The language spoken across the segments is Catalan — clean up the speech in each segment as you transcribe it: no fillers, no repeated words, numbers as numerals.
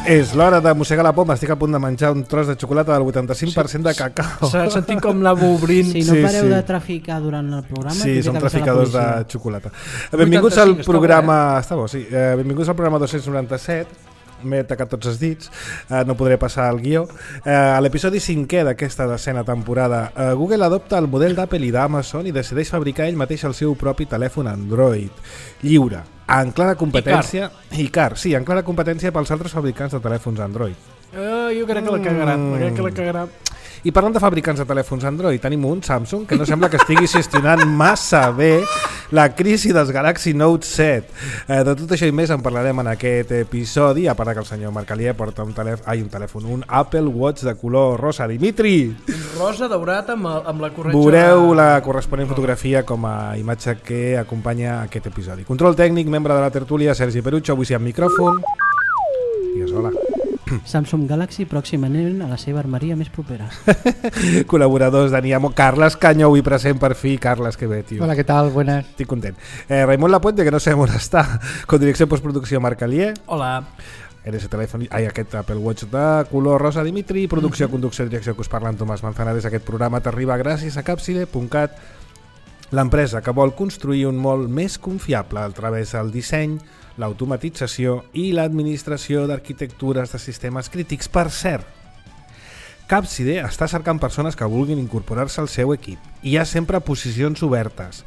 És l'hora de mossegar la poma. Estic a punt de menjar un tros de xocolata del 85% de cacao. S'ha sentit com l'anava obrint. Si no pareu de traficar durant el programa... Sí, som traficadors de xocolata. Benvinguts al programa... Està bo, sí. Benvinguts al programa 297. M'he tacat tots els dits, no podré passar el guió. A l'episodi 5è d'aquesta decena temporada, Google adopta el model d'Apple i d'Amazon i decideix fabricar ell mateix el seu propi telèfon Android lliure, en clara competència i car, sí, en clara competència pels altres fabricants de telèfons Android. Jo crec que la cagarà. I parlant de fabricants de telèfons Android, tenim un Samsung que no sembla que estigui gestionant massa bé la crisi dels Galaxy Note 7. De tot això i més en parlarem en aquest episodi, a part que el senyor Marcalier porta un telèfon, un Apple Watch de color rosa. Dimitri! Rosa daurat amb la corretja... Veureu la corresponent fotografia com a imatge que acompanya aquest episodi. Control tècnic, membre de la tertúlia, Sergi Perucho, avui sí amb micròfon. Digues hola. Samsung Galaxy pròximament a la seva armeria més propera. Col·laboradors d'Aniamo, Carles Canyo, avui present per fi. Carles, que bé, tio. Hola, ¿qué tal? Buenas. Estic content. Raimon Lapuente, que no sé on està, con direcció postproducció Marcalier. Hola. Aquest Apple Watch de color rosa, Dimitri. Producció, conducció, direcció, que us parla en Tomàs Manzanares. Aquest programa t'arriba gràcies a Capside.cat, l'empresa que vol construir un món més confiable a través del disseny, l'automatització i l'administració d'arquitectures de sistemes crítics. Per cert, Capside està cercant persones que vulguin incorporar-se al seu equip. Hi ha sempre posicions obertes,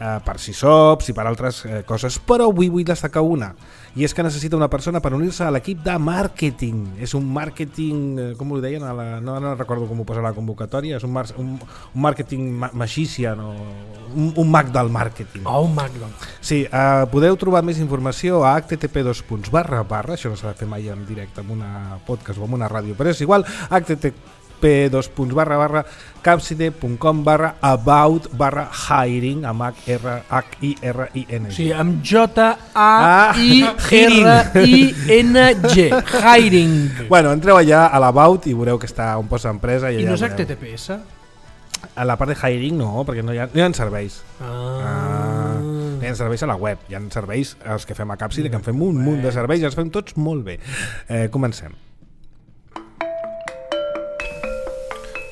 per SysOps i per altres coses, però avui vull destacar una, i és que necessita una persona per unir-se a l'equip de màrqueting. És un màrqueting, com ho deien, no recordo com ho posa la convocatòria, és un màrqueting magician, un mag del màrqueting. Un mag del... Sí, podeu trobar més informació a http://, això no s'ha de fer mai en directe amb una podcast o amb una ràdio, però és igual, http://capside.com/about/hiring amb Hiring. Sí, amb J-A-I-R-I-N-G. Hiring. Bueno, entreu allà a l'About i veureu que està on posa empresa. I no és HTTPS? A la part de Hiring no, perquè no hi ha serveis. No hi ha serveis a la web, hi ha serveis els que fem a Capside, que en fem un munt de serveis i els fem tots molt bé. Comencem.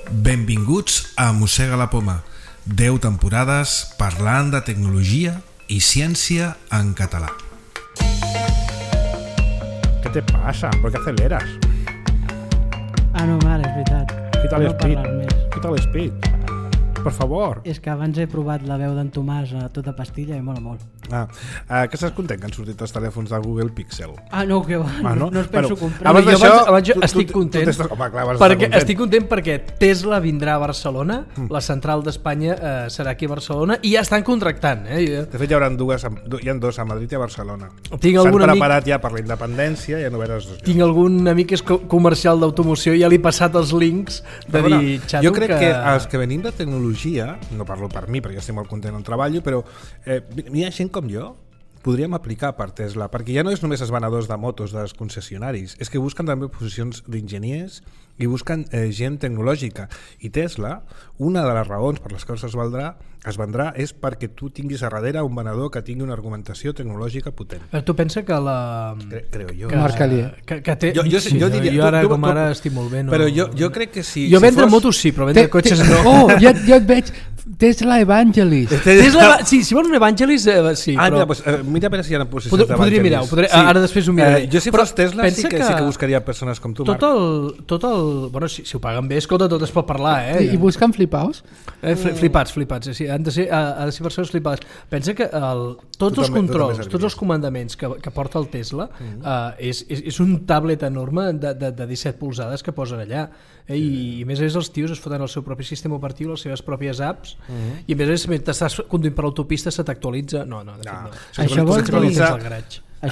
Benvinguts a Mossega la Poma. 10 temporades parlant de tecnologia i ciència en català. ¿Qué te pasa? ¿Por qué aceleras? No, mare, és veritat. Quita l'speed. Quita l'speed. Per favor. És que abans he provat la veu d'en Tomàs a tota pastilla i mola molt. Que estàs content que han sortit els telèfons del Google Pixel? No, que va, no es penso comprar. Abans estic content, estic content perquè Tesla vindrà a Barcelona, la central d'Espanya serà aquí a Barcelona i ja estan contractant. De fet hi ha dos a Madrid i a Barcelona. S'han preparat ja per la independència, ja no veuràs. Tinc algun amic que és comercial d'automoció i ja li he passat els links de dir, xato, jo crec que els que venim de tecnologia, no parlo per mi perquè jo estic molt content on treballo, però hi ha gent com jo, podríem aplicar per Tesla, perquè ja no és només els venedors de motos dels concessionaris, és que busquen també posicions d'enginyers i busquen gent tecnològica. I Tesla, una de les raons per les quals es vendrà és perquè tu tinguis a darrere un venedor que tingui una argumentació tecnològica potent. Tu pensa que la... Creo jo. Que té... Jo diria... Jo ara com ara estic molt bé. Però jo crec que si... Jo vendre motos sí, però vendre cotxes no. Jo et veig... Tesla Evangelist. Sí, si vols un Evangelist, sí. Mira, mira a veure si hi ha posicions d'Evangelist. Podria mirar, ara després ho miraré. Jo si fos Tesla sí que buscaria persones com tu, Marc. Tot el... Bueno, si ho paguen bé, escolta, tot es pot parlar, I busquen flipaos? Flipats, sí. Ha de ser persones flipades. Pensa que tots els controls, tots els comandaments que porta el Tesla és un tablet enorme de 17 polzades que posen allà. I a més els tios es foten el seu propi sistema operatiu, les seves pròpies apps, i a més mentre estàs conduint per l'autopista se t'actualitza. No. Això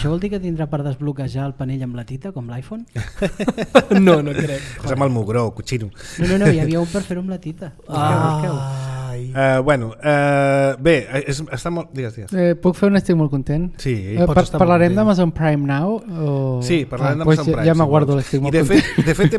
vol dir que tindrà per desbloquejar el panell amb la tita, com l'iPhone? No crec. És amb el mugró, cochino. No, hi havia un per fer-ho amb la tita. Bé, està molt... Digues. Puc fer un estic molt content? Sí. Parlarem d'Amazon Prime Now? Sí, parlarem d'Amazon Prime. Ja m'aguardo l'estic molt content. De fet,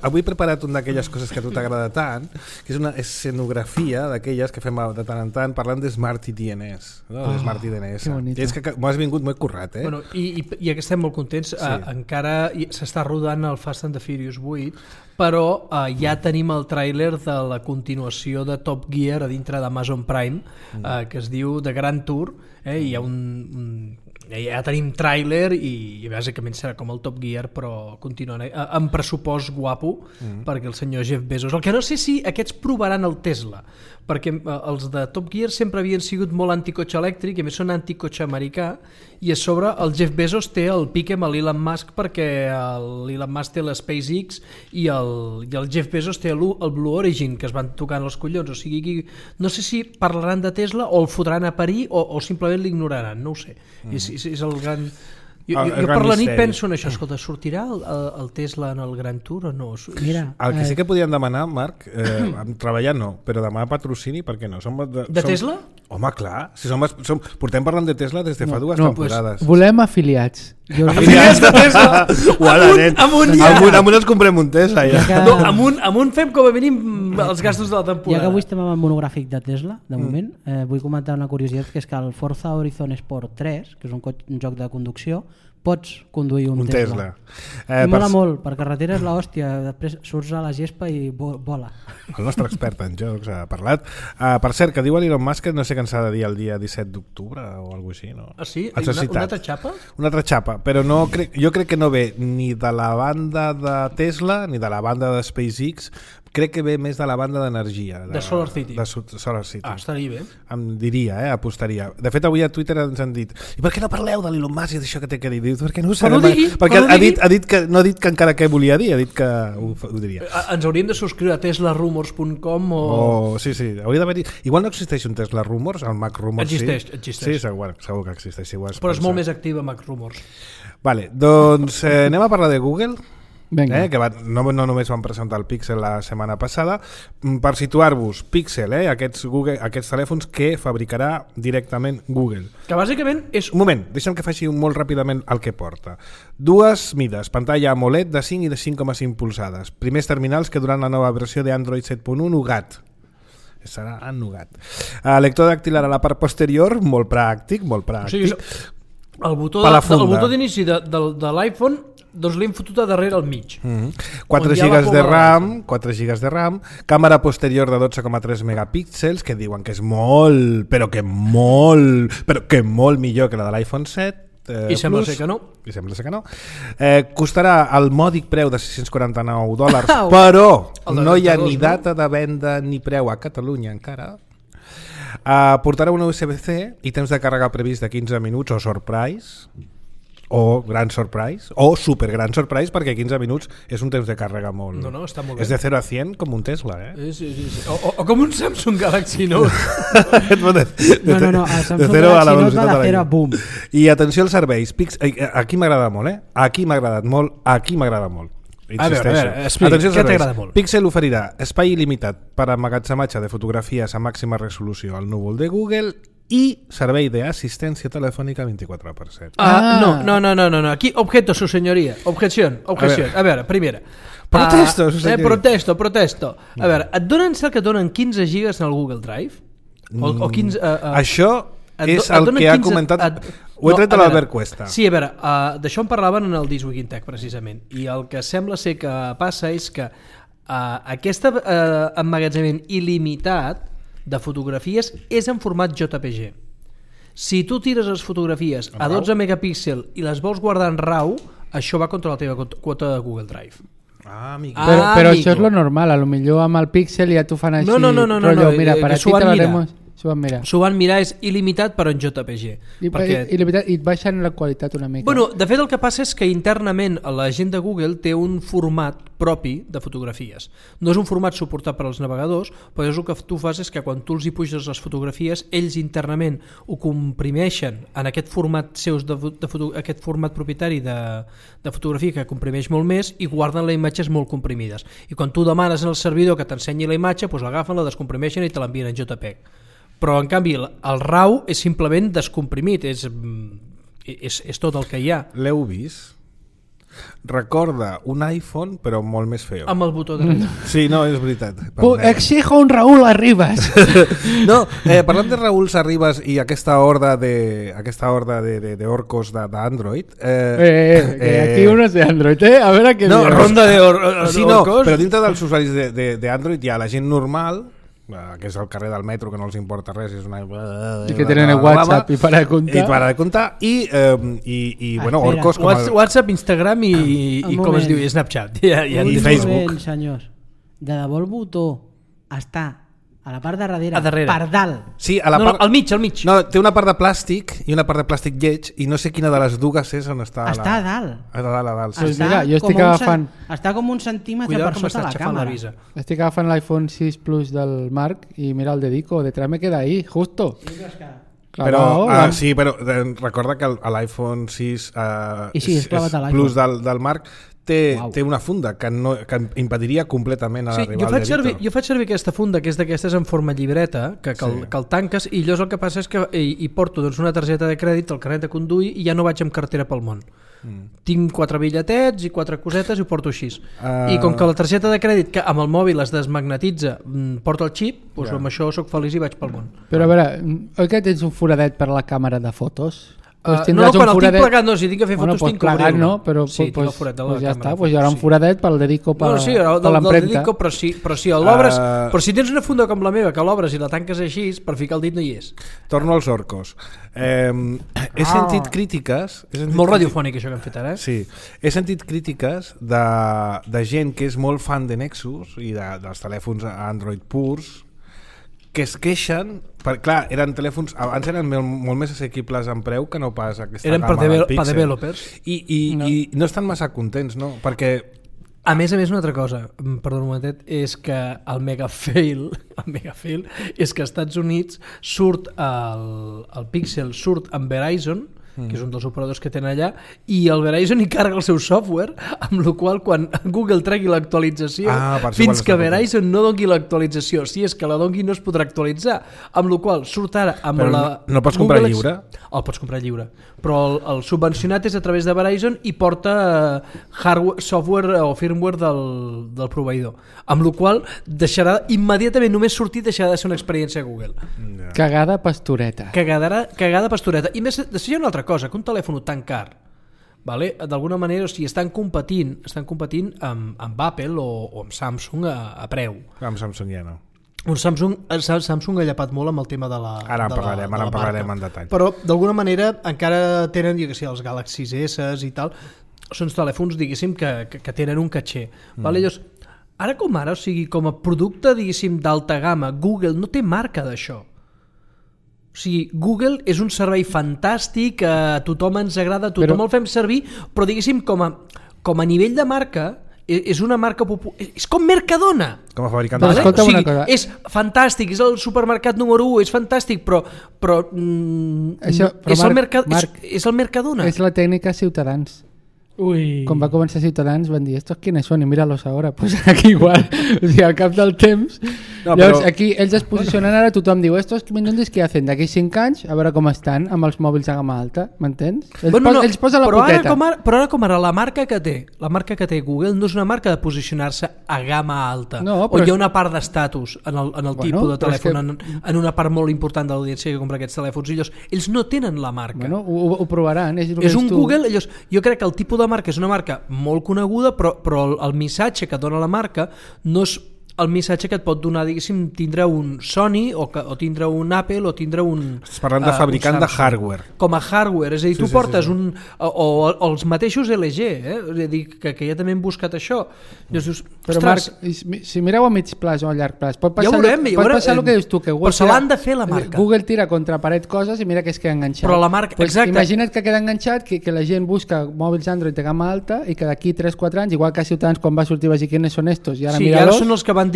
avui he preparat una d'aquelles coses que a tu t'agrada tant, que és una escenografia d'aquelles que fem de tant en tant parlant de Smart DNS. No? De Smart DNS. I és que m'ho has vingut molt currat, eh? Bueno, i ja que estem molt contents, encara s'està rodant el Fast and the Furious 8, però ja tenim el tràiler de la continuació de Top Gear a dintre d'Amazon Prime, que es diu The Grand Tour, hi ha ja tenim tràiler i bàsicament serà com el Top Gear però continuant amb pressupost guapo perquè el senyor Jeff Bezos, el que no sé si aquests provaran el Tesla, perquè els de Top Gear sempre havien sigut molt anticotxe elèctric i a més són anticotxe americà, i a sobre el Jeff Bezos té el pique amb l'Elon Musk perquè l'Elon Musk té la SpaceX i el Jeff Bezos té el Blue Origin, que es van tocant els collons, o sigui, no sé si parlaran de Tesla o el fotran a parir o simplement l'ignoraran, no ho sé. És el gran... Jo per la nit penso en això, escolta, sortirà el Tesla en el Grand Tour o no? Mira, el que sí que podien demanar, Marc, treballar no, però demanar patrocini, per què no? De Tesla? Home, clar, si portem parlant de Tesla des de fa dues temporades. Volem afiliats. Afiliats de Tesla! Amunt ens comprem un Tesla, ja. No, amunt fem com a mínim els gastos de la temporada. Ja que avui estem amb el monogràfic de Tesla, de moment, vull comentar una curiositat, que és que el Forza Horizon Sport 3, que és un joc de conducció, pots conduir un Tesla. Mola molt, per carretera és l'hòstia, després surts a la gespa i vola. El nostre expert en jocs ha parlat. Per cert, que diu l'Elon Musk que no sé què ens ha de dir el dia 17 d'octubre o alguna cosa així, no? Ah, sí? Una altra xapa? Una altra xapa, però jo crec que no ve ni de la banda de Tesla ni de la banda de SpaceX, crec que ve més de la banda d'energia. De Solar City. De Solar City. Estaria bé. Em diria, apostaria. De fet, avui a Twitter ens han dit i per què no parleu de l'Elon Musk i d'això que té que dir? Dius, perquè no ho sabem. Perquè ha dit que no ha dit que encara què volia dir, ha dit que ho diria. Ens hauríem de subscriure a teslarumors.com o... Sí, hauria d'haver-hi... Igual no existeix un Tesla Rumors, el Mac Rumors existeix. Sí, segur que existeix. Però és molt més activa Mac Rumors. Vale, doncs anem a parlar de Google. Que no només van presentar el Pixel la setmana passada. Per situar-vos, Pixel, aquests telèfons que fabricarà directament Google, que bàsicament és... Un moment, deixa'm que faci molt ràpidament el que porta. Dues mides, pantalla AMOLED de 5 i de 5,5 polzades, primers terminals que duran la nova versió d'Android 7.1 Nougat. Serà en Nougat. Lector dàctil a la part posterior, molt pràctic. O sigui, el botó d'inici de l'iPhone, doncs l'hem fotut a darrere al mig. 4 GB de RAM, càmera posterior de 12,3 megapíxels, que diuen que és molt millor que la de l'iPhone 7. I sembla ser que no. Costarà el mòdic preu de $649, però no hi ha ni data de venda ni preu a Catalunya encara. Portarà una USB-C i temps de càrrega previst de 15 minuts o surprise, o gran surprise, o super gran surprise, perquè 15 minuts és un temps de càrrega molt... No, està molt bé. És de 0 a 100 com un Tesla, Sí. O com un Samsung Galaxy Note. No, el Samsung Galaxy Note va de 0 a boom. I atenció als serveis. Aquí m'agrada molt, Aquí m'agrada molt. A veure, explica, què t'agrada molt? Pixel oferirà espai il·limitat per a emmagatzematge de fotografies a màxima resolució al núvol de Google i servei d'assistència telefònica 24/7. No. Aquí, objeto, su señoría. Objeción. A veure, primera. Protesto, su señoría. Protesto. A veure, et donen 15 gigas en el Google Drive? O 15... Això és el que ha comentat... Ho he tret de l'Albert Cuesta. Sí, a veure, d'això en parlaven en el This Week in Tech, precisament. I el que sembla ser que passa és que aquest emmagatzemament il·limitat de fotografies és en format JPG. Si tu tires les fotografies a 12 megapíxels i les vols guardar en RAW, això va contra la teva quota de Google Drive. Però això és lo normal, a lo millor amb el Pixel ja t'ho fan així. No, mira, per aquí te lo haremos... S'ho van mirar, és il·limitat però en JPG. Il·limitat i et baixen la qualitat una mica. Bueno, de fet el que passa és que internament la gent de Google té un format propi de fotografies. No és un format suportat per als navegadors, però el que tu fas és que quan tu els hi puges les fotografies, ells internament ho comprimeixen en aquest format seus aquest format propietari de fotografia que comprimeix molt més i guarden les imatges molt comprimides. I quan tu demanes al servidor que t'ensenyi la imatge, doncs l'agafen, la descomprimeixen i te l'envien en JPEG. Però en canvi el RAW és simplement descomprimit, és tot el que hi ha. L'heu vist? Recorda un iPhone però molt més feo. Amb el botó dret. Sí, no, és veritat. Exijo un Raúl Arribas. No, parlant de Raúl Arribas i aquesta horda de orcos d'Android. Aquí uno és d'Android, A veure què no, dius. Ronda de orcos. Sí, no, però dintre dels usuaris d'Android hi ha la gent normal, que és al carrer del metro, que no els importa res, és una... I que tenen el WhatsApp i para de comptar. I bueno, orcos com WhatsApp, Instagram i com es diu, Snapchat. I Facebook. Senyors, de debò el botó està a la part de darrere, a darrere. per dalt. Sí, a la part... al mig. No, té una part de plàstic i una part de plàstic lleig i no sé quina de les dues és on està. Està a dalt. A dalt, sí. Pues mira, jo estic agafant... Està com un centímetre per sota la càmera. Estic agafant l'iPhone 6 Plus del Marc i mira el dedico, detrás me queda ahí, justo. Però, sí, però recorda que l'iPhone 6 Plus del Marc té una funda que impediria completament arribar al dedicte. Jo faig servir aquesta funda, que és d'aquestes en forma llibreta, que el tanques, i llavors el que passa és que hi porto una targeta de crèdit, el carnet de conduir, i ja no vaig amb cartera pel món. Tinc 4 bitlletets i 4 cosetes i ho porto així. I com que la targeta de crèdit, que amb el mòbil es desmagnetitza, porta el xip, doncs amb això soc feliç i vaig pel món. Però a veure, oi que tens un foradet per la càmera de fotos? No, quan el tinc plegat no, si tinc que fer fotos tinc que obrir-lo. No, però sí, tinc el forat de la ja càmera. Està, hi haurà un foradet pel dedico per l'empremta. Però si l'obres, però si tens una funda com la meva que l'obres i la tanques així, per ficar el dit no hi és. Torno als orcos. He sentit crítiques... Molt radiofònic això que hem fet ara. Sí, he sentit crítiques de gent que és molt fan de Nexus i dels telèfons Android purs, que es queixen, clar, eren telèfons abans eren molt més assequibles en preu que no pas aquesta eren gamma del Pixel. Per developers i no estan massa contents, no? Perquè a més una altra cosa, perdó un momentet, és que el mega fail és que als Estats Units surt el Pixel surt amb Verizon, que és un dels operadors que tenen allà, i el Verizon hi carga el seu software, amb la qual quan Google tregui l'actualització, fins que Verizon no dongui l'actualització, si és que la dongui no es podrà actualitzar, amb la qual surt ara amb però la... No pots comprar lliure? El pots comprar lliure, però el subvencionat és a través de Verizon i porta hardware, software o firmware del proveïdor, amb la qual deixarà immediatament, només sortir deixarà de ser una experiència Google. Cagada pastoreta. Cagada pastoreta. I més, després hi ha una altra cosa, que un telèfon tan car, vale? D'alguna manera, o sigui, estan competint amb Apple o amb Samsung a preu. Amb Samsung ja no. Samsung ha llapat molt amb el tema de la ara en parlarem en detall. Però d'alguna manera encara tenen, els Galaxy S i tal, són telèfons, diguéssim, que tenen un caché. Vale? Llavors, ara com ara, o sigui, com a producte, diguéssim, d'alta gamma, Google no té marca d'això. O sigui, Google és un servei fantàstic, a tothom ens agrada, tothom el fem servir, però diguéssim com a nivell de marca és una marca popular, és com Mercadona, com a fabricant vale? O sigui, és fantàstic, és el supermercat número 1, és fantàstic, però és el Mercadona. És la tècnica Ciutadans. Ui. Quan va començar Ciutadans van dir estos quiénes son y míralos ahora, pues aquí igual, o sigui, al cap del temps llavors aquí ells es posicionen, ara tothom diu estos mindundis què hacen d'aquí 5 anys a veure com estan amb els mòbils de gamma alta, m'entens? Ells posen la poteta. Però ara com ara la marca que té Google no és una marca de posicionar-se a gamma alta, no, o hi ha una part d'estatus en el tipus de telèfon, en una part molt important de l'audiència que compra aquests telèfons, i ells no tenen la marca. Bueno, ho provaran. És un Google, jo crec que el tipus de marca és una marca molt coneguda, però el missatge que dona la marca no és el missatge que et pot donar, diguéssim, tindre un Sony o tindre un Apple o tindre un... Estàs parlant de fabricant de hardware. Com a hardware, és a dir, tu portes o els mateixos LG, és a dir, que ja també han buscat això. Llavors dius, Però Marc, si mireu a mig plaç o a llarg plaç, pot passar, passar el que dius tu, que Google se l'han de fer la marca. Google tira contra paret coses i mira que es queda enganxat. Però la marca, pues exacte. Imagina't que queda enganxat, que la gent busca mòbils Android de gamma alta i que d'aquí 3-4 anys, igual que a Ciutadans quan va sortir va dir quines són estos i ara mira-los. Sí, ara són els que van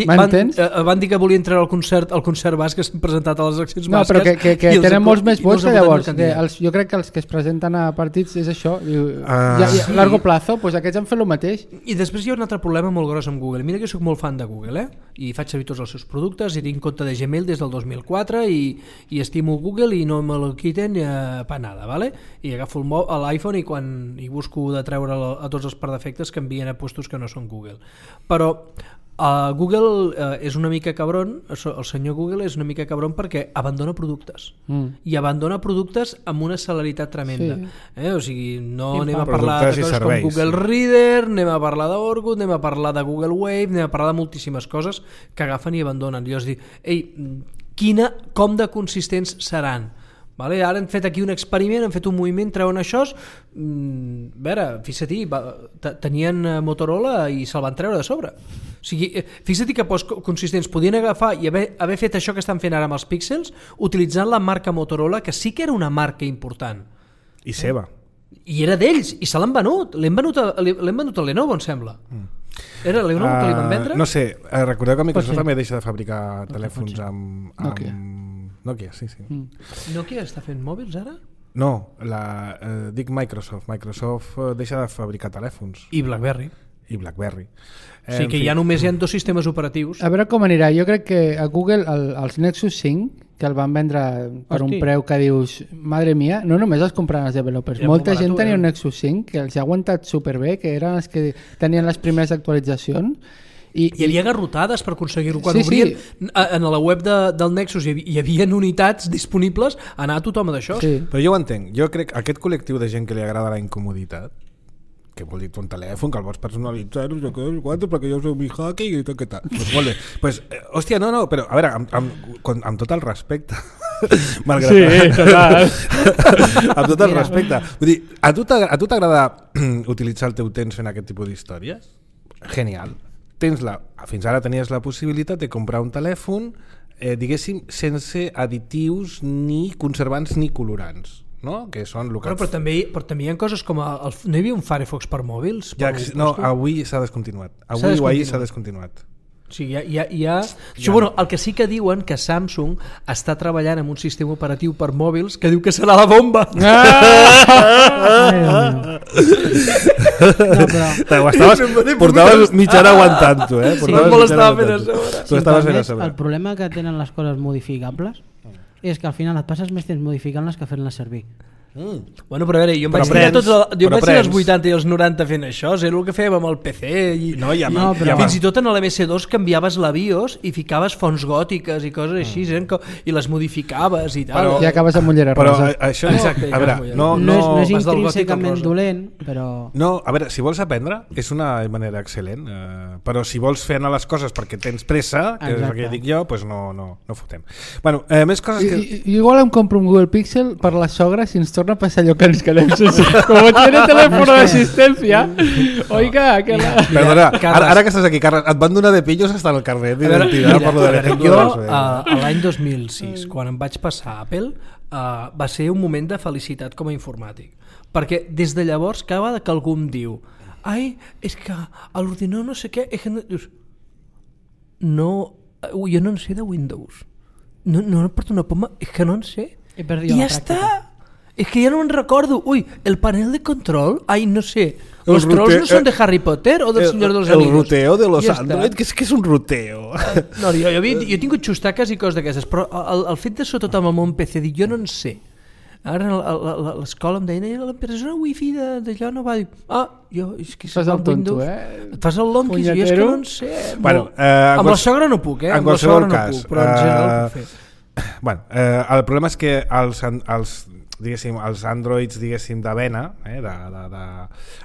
dir que volien treure el concert basc que s'han presentat a les accions basques. No, però que tenen molts més vots que llavors. Jo crec que els que es presenten a partits és això. A largo plazo, doncs aquests han fet el mateix. I després hi ha un altre problema molt gros amb Google. Mira que soc molt fan de Google, i faig servir tots els seus productes i tinc compte de Gmail des del 2004 i estimo Google i no me lo quiten pa nada, ¿vale? I agafo l'iPhone i quan busco de treure a tots els perdefectes que envien a puestos que no són Google. Però Google és una mica cabron, el senyor Google és una mica cabron perquè abandona productes i abandona productes amb una celeritat tremenda. O sigui, no anem a parlar de coses com Google Reader, anem a parlar d'Orkut, anem a parlar de Google Wave, anem a parlar de moltíssimes coses que agafen i abandonen. Jo us dic, com de consistents seran? Vale? Ara han fet aquí un experiment, han fet un moviment, treuen això, a veure, fixa't, tenien Motorola i se'l van treure de sobre. O sigui, fixa't que consistents podien agafar i haver fet això que estan fent ara amb els píxels, utilitzant la marca Motorola, que sí que era una marca important. I seva. I era d'ells, i se l'han venut. L'hem venut a Lenovo, em sembla. Era Lenovo que li van vendre? No sé, recordeu que Microsoft també deixa de fabricar telèfons amb Nokia, sí. Nokia està fent mòbils ara? No, dic Microsoft. Microsoft deixa de fabricar telèfons. I BlackBerry. Sí, que ja només hi ha 2 sistemes operatius. A veure com anirà. Jo crec que a Google els Nexus 5, que el van vendre per un preu que dius, madre mia, no només els compraven els developers, molta gent tenia un Nexus 5 que els ha aguantat superbé, que eren els que tenien les primeres actualitzacions. Hi havia garrotades per aconseguir-ho. Quan obrien en la web del Nexus hi havia unitats disponibles a anar a tothom d'això. Però jo ho entenc. Jo crec que aquest col·lectiu de gent que li agrada la incomoditat, que vol dir un telèfon, que el vols personalitzar, no sé què, perquè jo soc mi hacker i tot, què tal. Pues molt bé. Pues, hòstia, no, però a veure, amb tot el respecte, malgrat... Sí, total. Amb tot el respecte. Vull dir, a tu t'agrada utilitzar el teu temps fent aquest tipus d'històries? Genial. Fins ara tenies la possibilitat de comprar un telèfon, diguéssim, sense additius ni conservants ni colorants. No? Que són però també hi ha coses com no hi havia un Firefox per mòbils? Avui s'ha descontinuat. Avui o ahir s'ha descontinuat. O sigui, bueno, el que sí que diuen que Samsung està treballant en un sistema operatiu per mòbils que diu que serà la bomba. Portaves mitja hora aguantant-ho, El problema que tenen les coses modificables és que al final et passes més temps modificant-les que fent-les servir. Bueno, però a veure, jo em vaig ser als 80 i als 90 fent això, és el que fèiem amb el PC fins i tot en l'MS2 canviaves la BIOS i ficaves fonts gòtiques i coses així i les modificaves i tal. I acabes amb ullera rosa. Això no és intrínsecament dolent, però... No, a veure, si vols aprendre és una manera excel·lent, però si vols fer anar les coses perquè tens pressa, que és el que dic jo, doncs no fotem. Bueno, més coses que... Igual em compro un Google Pixel per la sogra si ens torna a passar allò que ens quedem sense. Como tiene teléfono d'assistència. Oiga, que la... Perdona, ara que estàs aquí, Carles, et van donar de pillos hasta el carnet d'identitat per lo de l'ejemplo. Jo, l'any 2006, quan em vaig passar a Apple, va ser un moment de felicitat com a informàtic. Perquè des de llavors, cada vegada que algú em diu és que a l'ordinador no sé què, jo no en sé de Windows. No porto una poma, és que no en sé. I ja està. És que ja no me'n recordo. El panel de control, no sé. ¿Los trolls no són de Harry Potter o del Senyor dels Anillos? El ruteo de los Android, que és un ruteo. No, jo he tingut xustaques i coses d'aquestes, però el fet de sobretot amb el món PC, dic, jo no en sé. Ara a l'escola em deien l'empresa wifi d'allò no va dir és que fas el tonto, et fas el lonquis i és que no en sé. Amb la sogra no puc, en qualsevol cas, però en general puc fer. Bueno, el problema és que els androids de vena,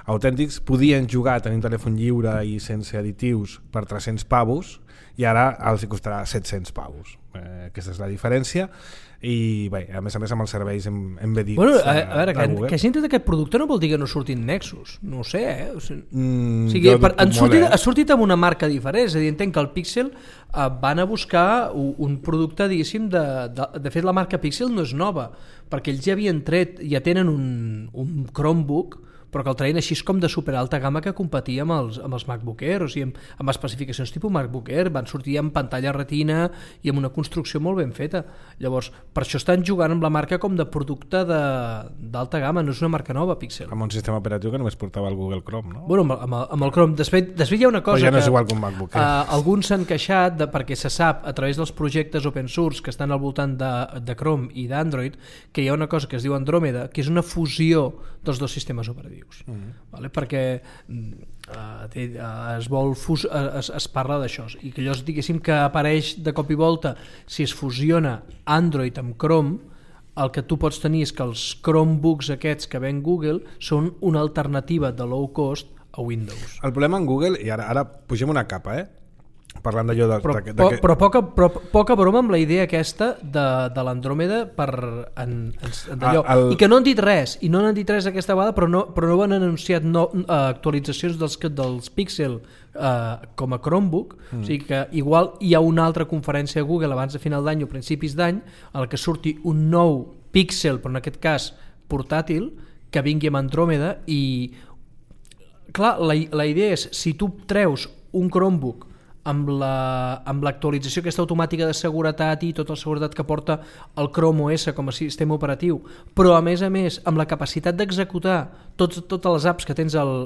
autèntics, podien jugar tenint telèfon lliure i sense additius per 300 pavos i ara els costarà 700 pavos. aquesta és la diferència. I bé, a més amb els serveis embedits a veure, que hagi entrat aquest producte no vol dir que no surtin Nexus, no ho sé, O sigui, ha sortit amb una marca diferent, és a dir, entenc que el Pixel van a buscar un producte, diguéssim, de fet la marca Pixel no és nova, perquè ells ja havien tret, ja tenen un Chromebook, però que el traien així com de superalta gamma que competia amb els MacBook Air, o sigui, amb especificacions tipus MacBook Air, van sortir amb pantalla retina i amb una construcció molt ben feta. Llavors, per això estan jugant amb la marca com de producte d'alta gamma, no és una marca nova, Pixel. Amb un sistema operatiu que només portava el Google Chrome, no? Bueno, amb el Chrome. Després hi ha una cosa ja no és igual que un MacBook Air. Alguns s'han queixat perquè se sap a través dels projectes open source que estan al voltant de Chrome i d'Android que hi ha una cosa que es diu Andromeda, que és una fusió dels dos sistemes operatius. Vale? Perquè es parla d'això i que allò diguéssim que apareix de cop i volta si es fusiona Android amb Chrome, el que tu pots tenir és que els Chromebooks aquests que ven Google són una alternativa de low cost a Windows. El problema en Google, i ara pugem una capa, parlant d'allò però poca broma amb la idea aquesta de l'Andròmeda i que no han dit res aquesta vegada, però no han anunciat actualitzacions dels Pixel com a Chromebook, o sigui que igual hi ha una altra conferència a Google abans de final d'any o principis d'any en què surti un nou Pixel, però en aquest cas portàtil, que vingui amb Andròmeda. I clar, la idea és, si tu treus un Chromebook amb l'actualització aquesta automàtica de seguretat i tota la seguretat que porta el Chrome OS com a sistema operatiu, però a més amb la capacitat d'executar totes les apps que tens al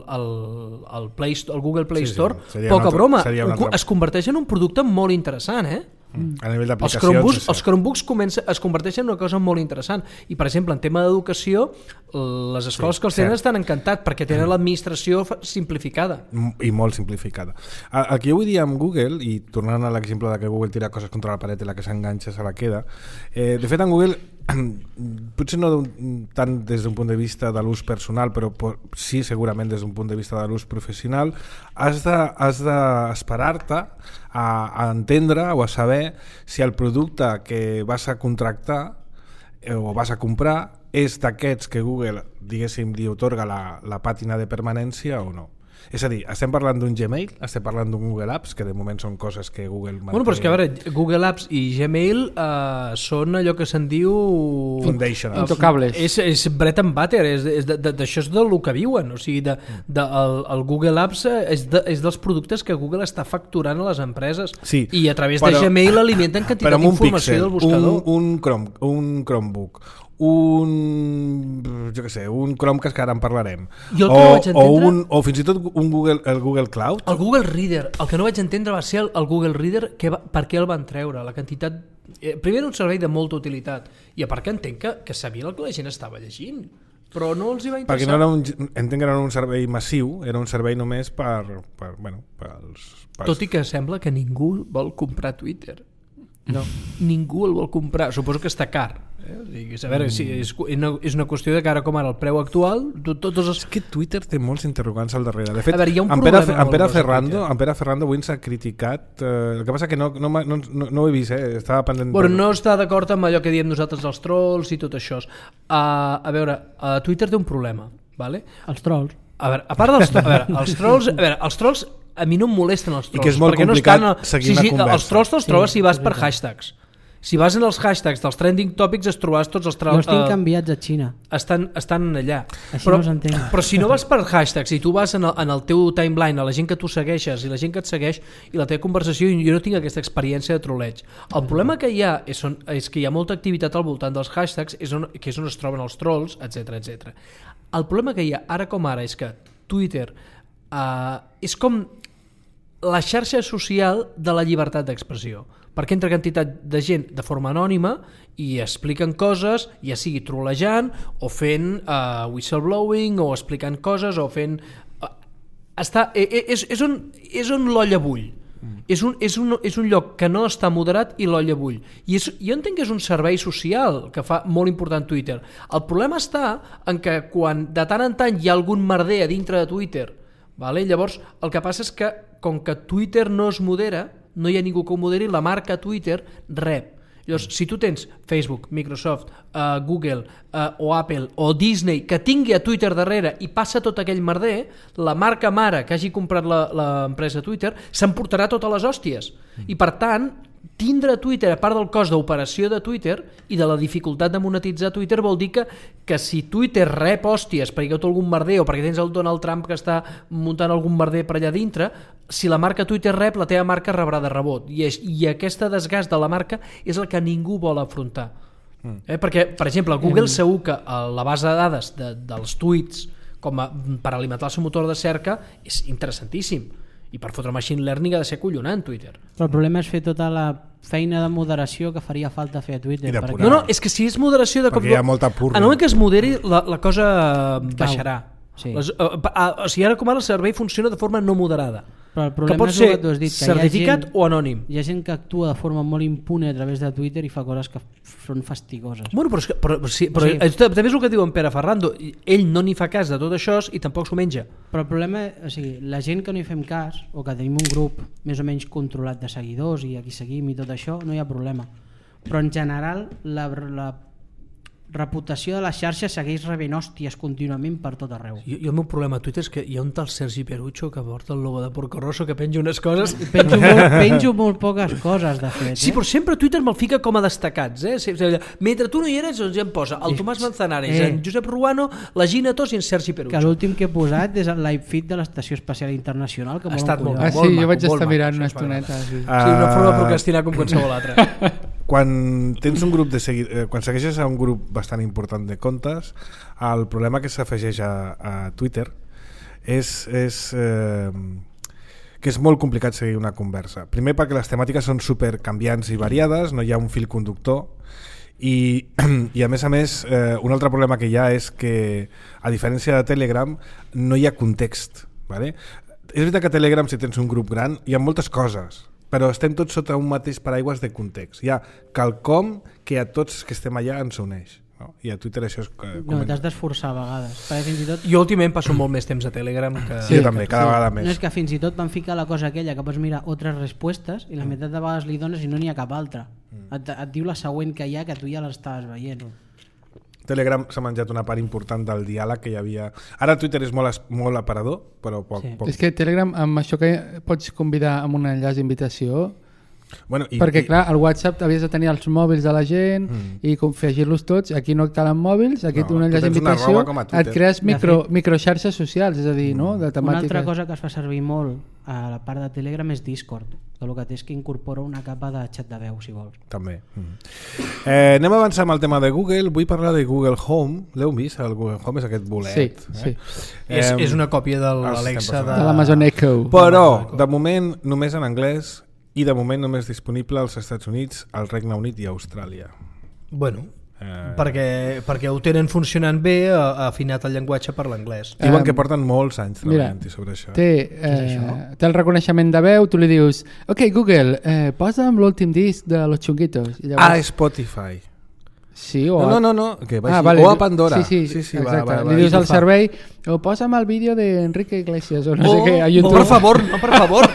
Google Play Store, poca broma, es converteix en un producte molt interessant, A nivell d'aplicacions, els Chromebooks es converteixen en una cosa molt interessant i, per exemple, en tema d'educació les escoles que els tenen estan encantats perquè tenen l'administració simplificada i molt simplificada. El que jo vull dir amb Google, i tornant a l'exemple de que Google tira coses contra la paret i la que s'enganxa se la queda, de fet en Google potser no tant des d'un punt de vista de l'ús personal, però sí segurament des d'un punt de vista de l'ús professional, has d'esperar-te a entendre o a saber si el producte que vas a contractar o vas a comprar és d'aquests que Google, diguéssim, li otorga la pàtina de permanència o no. És a dir, estem parlant d'un Gmail, estem parlant d'un Google Apps, que de moment són coses que Google manté. Bueno, però és que a veure, Google Apps i Gmail són allò que se'n diu Foundation. Intocables. És bread and butter, d'això és del que viuen, o sigui, el Google Apps és dels productes que Google està facturant a les empreses, sí, i a través de Gmail alimenten quantitat d'informació del buscador. Un Chromebook, un Chrome, que ara en parlarem, o fins i tot el Google Cloud. El Google Reader, el que no vaig entendre va ser el Google Reader, per què el van treure, la quantitat. Primer era un servei de molta utilitat i a part que entenc que sabia el que la gent estava llegint, però no els hi va interessar. Perquè no entenc que era un servei massiu, era un servei només per tot i que sembla que ningú vol comprar Twitter. No, ningú el vol comprar, suposo que està car. A veure, sí, és una qüestió de que ara com ara el preu actual És que Twitter té molts interrogants al darrere. De fet, veure, en Pere Ferrando avui ens ha criticat, el que passa que no ho he vist, estava pendent. Bueno, no està d'acord amb allò que diem nosaltres els trolls i tot això. A veure, Twitter té un problema, vale? Els trolls. A veure, a part els trolls a mi no em molesten els trolls, i que és molt complicat seguir una conversa. Els trolls te'ls trobes si vas per hashtags. Si vas en els hashtags dels trending topics es trobaràs tots els trolls. Jo estic enviats a Xina. Estan allà. Així no s'entén. Però si no vas per hashtags i tu vas en el teu timeline, a la gent que tu segueixes i la gent que et segueix i la teva conversació, jo no tinc aquesta experiència de troleig. El problema que hi ha és que hi ha molta activitat al voltant dels hashtags, que és on es troben els trolls, etc. El problema que hi ha ara com ara és que Twitter és com la xarxa social de la llibertat d'expressió, perquè entra quantitat de gent de forma anònima i expliquen coses, ja sigui trolejant o fent whistleblowing o explicant coses o fent... És on l'olla bull. És un lloc que no està moderat i l'olla bull. I jo entenc que és un servei social que fa molt important Twitter. El problema està en que quan de tant en tant hi ha algun merder a dintre de Twitter, vale? Llavors el que passa és que com que Twitter no es modera, no hi ha ningú que ho moderi, la marca Twitter rep Llavors, si tu tens Facebook, Microsoft, Google o Apple o Disney que tingui a Twitter darrere i passa tot aquell merder, la marca mare que hagi comprat l'empresa Twitter s'emportarà totes les hòsties. I per tant, tindre Twitter, a part del cost d'operació de Twitter i de la dificultat de monetitzar Twitter, vol dir que si Twitter rep hòsties perquè hi ha algun merder o perquè tens el Donald Trump que està muntant algun merder per allà dintre, si la marca Twitter rep, la teva marca rebrà de rebot. I aquesta desgast de la marca és el que ningú vol afrontar. Perquè, per exemple, Google segur que la base de dades dels tuits per alimentar el seu motor de cerca és interessantíssim. I per fotre machine learning ha de ser collonant Twitter. Però el problema és fer tota la feina de moderació que faria falta fer a Twitter. No, és que si és moderació de cop... Perquè hi ha molta purga. En el moment que es moderi, la cosa baixarà. Sí. O sigui, ara com ara el servei funciona de forma no moderada. Però el problema que pot és ser que tu has dit, que certificat o anònim. Hi ha gent que actua de forma molt impune a través de Twitter i fa coses que són fastigoses. Bueno, però també és el que diu en Pere Ferrando. Ell no n'hi fa cas de tot això i tampoc s'ho menja. Però el problema, la gent que no hi fem cas, o que tenim un grup més o menys controlat de seguidors i a qui seguim i tot això, no hi ha problema. Però en general la reputació de les xarxes segueix rebent hòsties contínuament per tot arreu. I el meu problema a Twitter és que hi ha un tal Sergi Perucho que porta el logo de Porco Rosso que penja unes coses... Penjo molt poques coses, de fet. Sí, però sempre Twitter me'l fica com a destacats. Mentre tu no hi eres, doncs ja em posa el Tomàs Manzanares, en Josep Ruano, la Gina Tos i en Sergi Perucho. Que l'últim que he posat és el live feed de l'Estació Espacial Internacional. Que ha estat molt maco. Sí, jo vaig estar mirant una estoneta. Sí, una forma de procrastinar com qualsevol altra. Quan tens un grup quan segueixes a un grup bastant important de comptes, el problema que s'afegeix a Twitter és que és molt complicat seguir una conversa. Primer perquè les temàtiques són super canviants i variades, no hi ha un fil conductor i a més, un altre problema que hi ha és que, a diferència de Telegram, no hi ha context, vale? És veritat que a Telegram, si tens un grup gran, hi ha moltes coses, però estem tots sota un mateix paraigües de context. Hi ha quelcom que a tots que estem allà ens uneix. No? I a Twitter això és... No, t'has d'esforçar a vegades. Fins i tot... Jo últimament passo molt més temps a Telegram que... Sí, també, cada vegada més. No, és que fins i tot van ficar la cosa aquella que pots mirar altres respostes i la meitat de vegades li dones i no n'hi ha cap altra. Et diu la següent que hi ha que tu ja l'estaves veient. Telegram s'ha menjat una part important del diàleg que hi havia. Ara Twitter és molt aparador, però poc. És que Telegram, amb això que pots convidar amb un enllaç d'invitació, bueno, perquè clar, al WhatsApp havies de tenir els mòbils de la gent i confegir-los tots. Aquí no calen mòbils, aquí un enllaç d'invitació, et crees microxarxes socials, és a dir, no? De temàtica. Una altra cosa que es fa servir molt a la part de Telegram és Discord, que el que té és que incorpora una capa de xat de veu, si vols. També. Anem a avançar amb el tema de Google. Vull parlar de Google Home. L'heu vist? El Google Home és aquest bolet. Sí. És una còpia de l'Alexa de l'Amazon Echo. Però, de moment, només en anglès i de moment només disponible als Estats Units, al Regne Unit i a Austràlia. Bueno, perquè ho tenen funcionant bé, afinat el llenguatge per l'anglès. Diuen que porten molts anys treballant sobre això. Té el reconeixement de veu, tu li dius ok Google, posa'm l'últim disc de Los Chunguitos. Llavors... Spotify. Sí, o no, que vagi, o a Pandora. Sí, exacte. Li dius al servei, o posa'm el vídeo d'Enrique Iglesias o no sé què a YouTube. Per favor.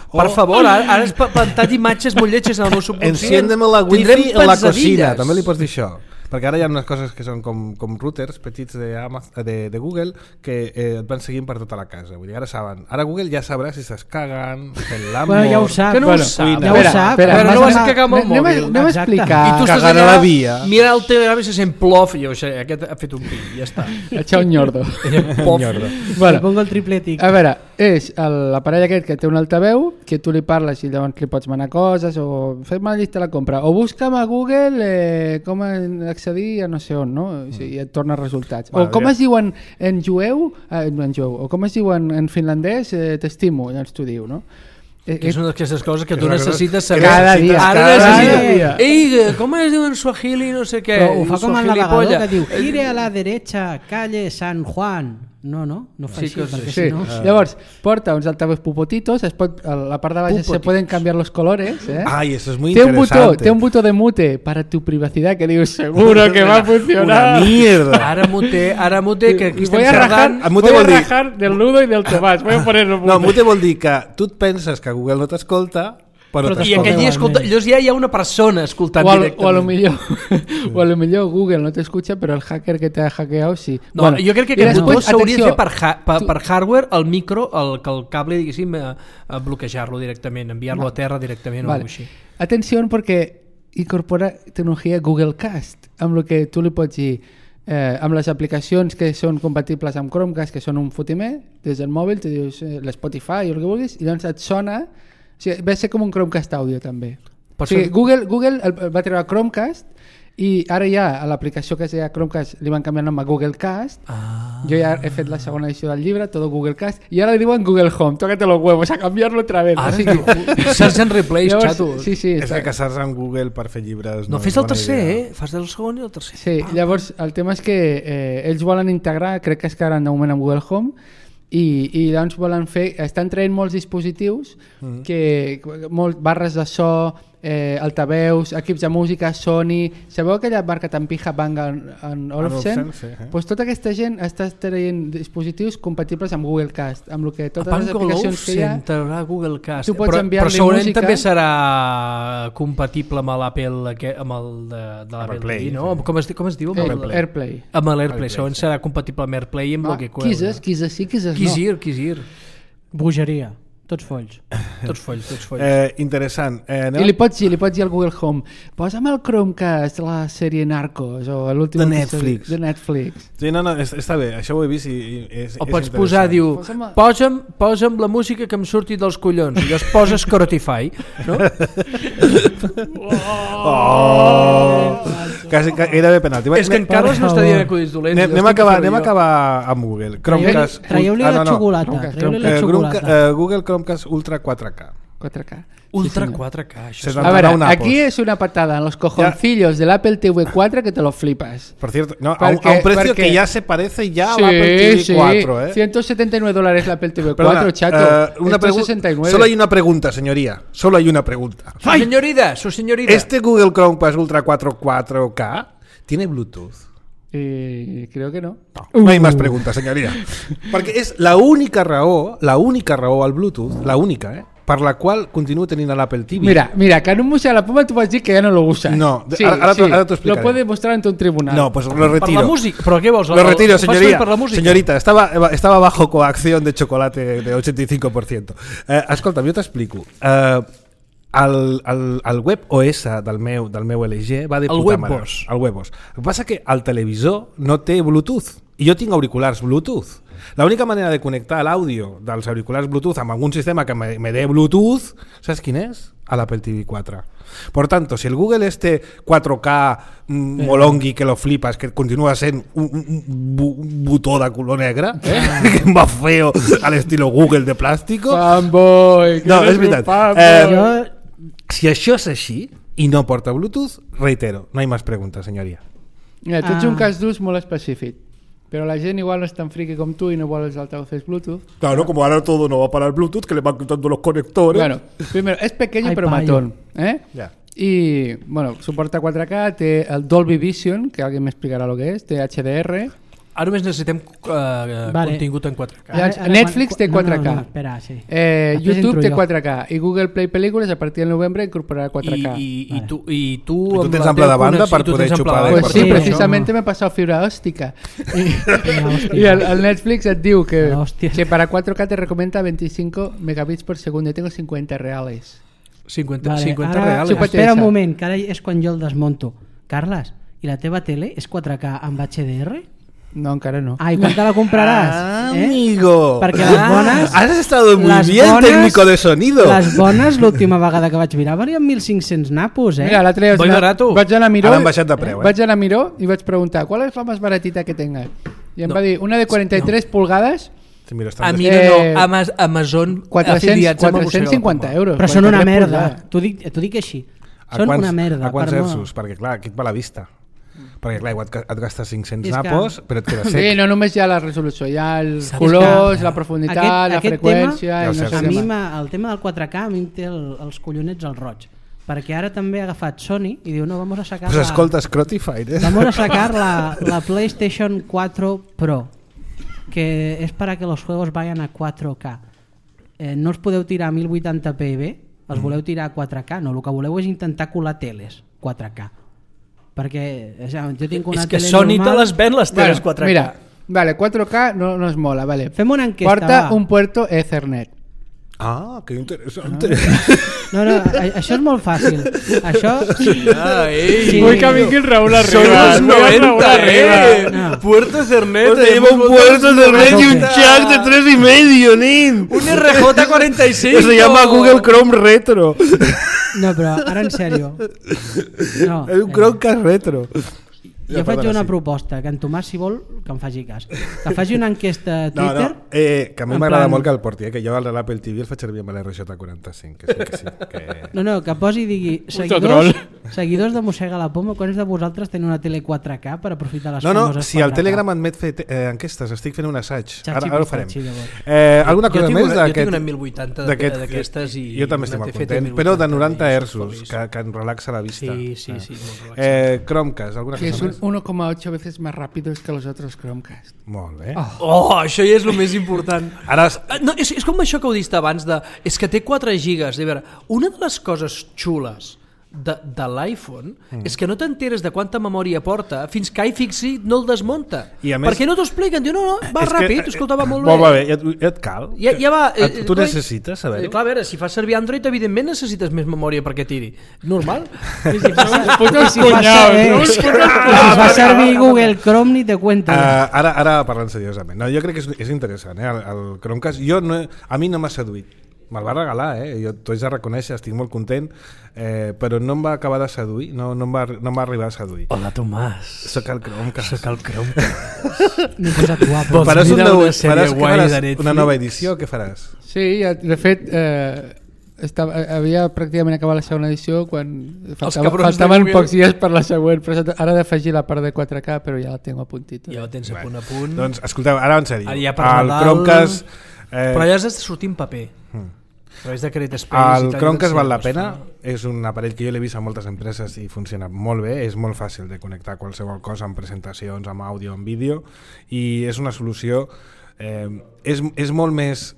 Per favor, ara has plantat imatges molt lletges en el meu subconscient. Enciéndeme la wifi en la cocina, també li pots dir això. Perquè ara hi ha unes coses que són com routers petits de Google que et van seguint per tota la casa. Vull dir, ara saben. Ara Google ja sabrà si s'es caguen, fent l'amor... Bueno, ja ho sap. Que no ho sap. Ja ho sap. Però no vas a cagar amb el mòbil. Anem a explicar. I tu estàs allà, mira el Telegram i se sent plof i jo, aquest ha fet un pi, ja està. Echar un ñordo. Li pongo el triple tic. A veure, és l'aparell aquest que té un altaveu, que tu li parles i llavors li pots manar coses o fes-me la llista de la compra. O busca'm a Google com accedir a no sé on, no? I et torna resultats. O com es diu en jueu, o com es diu en finlandès, t'estimo, llavors t'ho diu, no? Que són aquestes coses que tu necessites saber cada dia. Ei, com es diu en suajili, no sé què. Ho fa com el navegador que diu gire a la derecha, calle San Juan. No fa així, perquè si no... Llavors, porta uns altavoz pupotitos, a la part de baix se pueden cambiar los colores. Ay, eso es muy interesante. Té un botó de mute para tu privacidad que dius, seguro que va a funcionar. Una mierda. Ara mute, que aquí estem xerrant... Voy a rajar del Ludo y del Tomàs, voy a ponerlo mute. No, mute vol dir que tu et penses que Google no t'escolta I aquell dia escolta, llavors ja hi ha una persona escoltant directament. O a lo millor Google no t'escucha, però el hacker que t'ha hackeado sí. No, bueno, jo crec que aquest botó s'hauria de fer per hardware, el micro, el cable, diguéssim, bloquejar-lo directament, enviar-lo a terra directament o alguna cosa així. Atenció, perquè incorpora tecnologia Google Cast, amb el que tu li pots dir amb les aplicacions que són compatibles amb Chromecast, que són un fotimer, des del mòbil tu dius l'Spotify o el que vulguis, i doncs et sona, o sigui, va ser com un Chromecast àudio també. O sigui, Google va treure Chromecast i ara ja a l'aplicació que es deia Chromecast li van canviar el nom a Google Cast. Jo ja he fet la segona edició del llibre, tot Google Cast, i ara li diuen Google Home. Tócate los huevos a canviar-lo otra vez. Ara search and replace, xato. Sí, és que casar-se amb Google per fer llibres no fes el tercer, fas el segon i el tercer. Sí, llavors el tema és que ells volen integrar, crec que es quedaran de moment amb Google Home, i doncs volen fer, estan traient molts dispositius barres de so, altaveus, equips de música, Sony, sabeu aquella marca tan pija Bang & Olufsen? Pues tota aquesta gent està traient dispositius compatibles amb Google Cast, amb el que totes les aplicacions que hi ha Google Cast. Tu pots enviar-li però segurament música. també serà compatible amb l'Apple, amb el de l'Apple TV, no? Com es diu? AirPlay. Amb l'AirPlay, segurament serà compatible amb AirPlay i amb el que queda. Quizás sí, quizás no. Quisir. Bogeria. Tots folls. Tots folls. Interessant. I li pots dir al Google Home, posa'm el Chromecast la sèrie Narcos o l'últim de Netflix. Sí, no, està bé, això ho he vist i és o pots posar, diu, posa'm la música que em surti dels collons i llavors poses Spotify, no? Quasi gairebé penalti. És que en Carles no està dient acudits dolents. Anem a acabar amb Google. Chromecast. Traieu-li la xocolata. Google Chromecast Ultra 4K. Ultra 4K. A ver, aquí es una patada en los cojoncillos del Apple TV 4 que te lo flipas. Por cierto, no, a un precio que ya se parece ya al Apple TV 4. $179 el Apple TV 4, chato. 169. Solo hay una pregunta, señoría. Solo hay una pregunta. Su señorita. ¿Este Google Chromecast Ultra 4K tiene Bluetooth? Creo que no. No hay más preguntas, señoría. Perquè és la única raó al Bluetooth, la única, per la qual continuo tenint l'Apple TV. Mira, que en un museo de la poma tú vas a decir que ya no lo usas. No, ahora te explicaré. Lo puedes mostrar ante un tribunal. No, pues lo retiro. ¿Por la música? ¿Pero qué vos? Lo retiro, señoría. Señorita, estaba bajo coacción de chocolate de 85%. Escolta, jo t'explico. El web OS del meu LG va de puta mare. El WebOS. El que passa que el televisor no té Bluetooth i jo tinc auriculars Bluetooth. L'única manera de connectar l'àudio dels auriculars Bluetooth amb algun sistema que me dé Bluetooth, ¿sabes quién es? A l'Apple TV 4. Por tanto, si el Google 4K molongui que lo flipas, que continua sent un botó de color negre, que va feo al estilo Google de plàstico. Fanboy! No, és veritat. Si això és així i no porta Bluetooth, reitero, no hay más preguntas, señoría. Mira, tu ets un cas d'ús molt específic, però la gent igual no és tan friki com tu y no vol els altavoces Bluetooth. Claro, como ahora todo no va para el Bluetooth, que le van quitando los conectores. Bueno, primero, es pequeño pero matón, Ya. Y, bueno, soporta 4K, té el Dolby Vision, que alguien me explicarà lo que és, té HDR. Ara només necessitem contingut en 4K. Netflix té 4K. No, espera, sí. YouTube té 4K i Google Play Pel·lícules a partir del novembre incorporarà 4K. I tu tens ample de banda per poder xupar? Pues sí, precisamente me he pasado fibra óptica. Y el Netflix et diu que para 4K te recomienda 25 megabits por segundo. Yo tengo 50 reales. 50 reals. Espera un moment, que ara és quan jo el desmonto. Carles, i la teva tele és 4K amb HDR? No, encara no. I quan te la compraràs? Amigo. Perquè les bones... Has estado muy bien, técnico de sonido. Les bones, l'última vegada que vaig mirar, valien 1.500 napos, Mira, l'altre dia vaig anar a Miró, han baixat de preu, vaig anar a Miró i vaig preguntar, ¿cuál es la más baratita que tenga? I em va dir, una de 43 pulgadas... A mi no, Amazon 450 euros. Però són una merda, t'ho dic així. Són una merda. A quants hertzos? Perquè clar, aquí et va la vista. Perquè clar, et gastes 500 napos, però et queda sec. Sí, no només hi ha la resolució, hi ha els colors, la profunditat, la freqüència... A mi el tema del 4K a mi em té els collonets al roig. Perquè ara també ha agafat Sony i diu, no, vamos a sacar... Pues escolta, Scrotify, Vamos a sacar la PlayStation 4 Pro, que es para que los juegos vayan a 4K. No os podeu tirar a 1080p, els voleu tirar a 4K, no, el que voleu és intentar colar teles 4K. Perquè jo tinc una tele normal... És que Sony te les ven les teles 4K. Mira, vale, 4K no es mola, vale. Fem una enquesta, porta un puerto Ethernet. Ah, que interessant. No, això és molt fàcil. Això... Sí. Vull que vingui el Raúl arriba. Són els 90, No. Puerto Ethernet. Lleva un puerto Ethernet y un jack de 3,5, nin. Un RJ45. Se llama Google Chrome Retro. No, però ara en sèrio. No, És un Chromecast Retro. Jo faig una proposta, que en Tomàs, si vol, que em faci cas. Que faci una enquesta a Twitter... Que a mi m'agrada molt que el porti, que jo el de l'Apple TV el faig servir amb l'RJ45, que sí. No, que posi i digui seguidors de Mossega la Poma, quants de vosaltres tenen una tele 4K per aprofitar les famoses 4K? Si el Telegram admet fer enquestes, estic fent un assaig, ara ho farem. Alguna cosa més d'aquest... Jo tinc una 1080 d'aquestes i... Jo també estic molt content, però de 90 Hz, que em relaxa la vista. Sí, molt relaxa. Chromecast, alguna cosa més? 1,8 veces más rápidos que los otros Chromecast. Molt bé. Això ja és el més important. Ara... No, és com això que ho diste abans de... És que té 4 gigas. A veure, una de les coses xules de l'iPhone és que no t'enteres de quanta memòria porta fins que iFixit no el desmunta. Per què no t'ho expliquen? Diu, no, va ràpid, escolta, va molt bé. Va bé, ja et cal. Ja va, tu necessites saber-ho? Clar, a veure, si fas servir Android, evidentment necessites més memòria perquè tiri. Normal. Si fa servir Google Chrome ni te cuento. Ara parlant seriosament. No, jo crec que és interessant, el Chromecast. A mi no m'ha seduït. Me'l va regalar, jo t'ho haig de reconèixer, estic molt content, però no em va acabar de seduir, no em va arribar a seduir. Hola, Tomàs. Soc el Chromecast. M'he posat guapo. Faràs una nova edició, què faràs? Sí, de fet, havia pràcticament acabat la segona edició quan faltaven pocs dies per la següent, però ara he d'afegir la part de 4K, però ja la tinc a puntito. Ja la tens a punt. Doncs escolteu, ara en sèrio, el Chromecast... Però ja has de sortir en paper. El Chromecast val la pena, és un aparell que jo l'he vist a moltes empreses i funciona molt bé, és molt fàcil de connectar qualsevol cosa amb presentacions, amb àudio, amb vídeo, i és una solució és molt més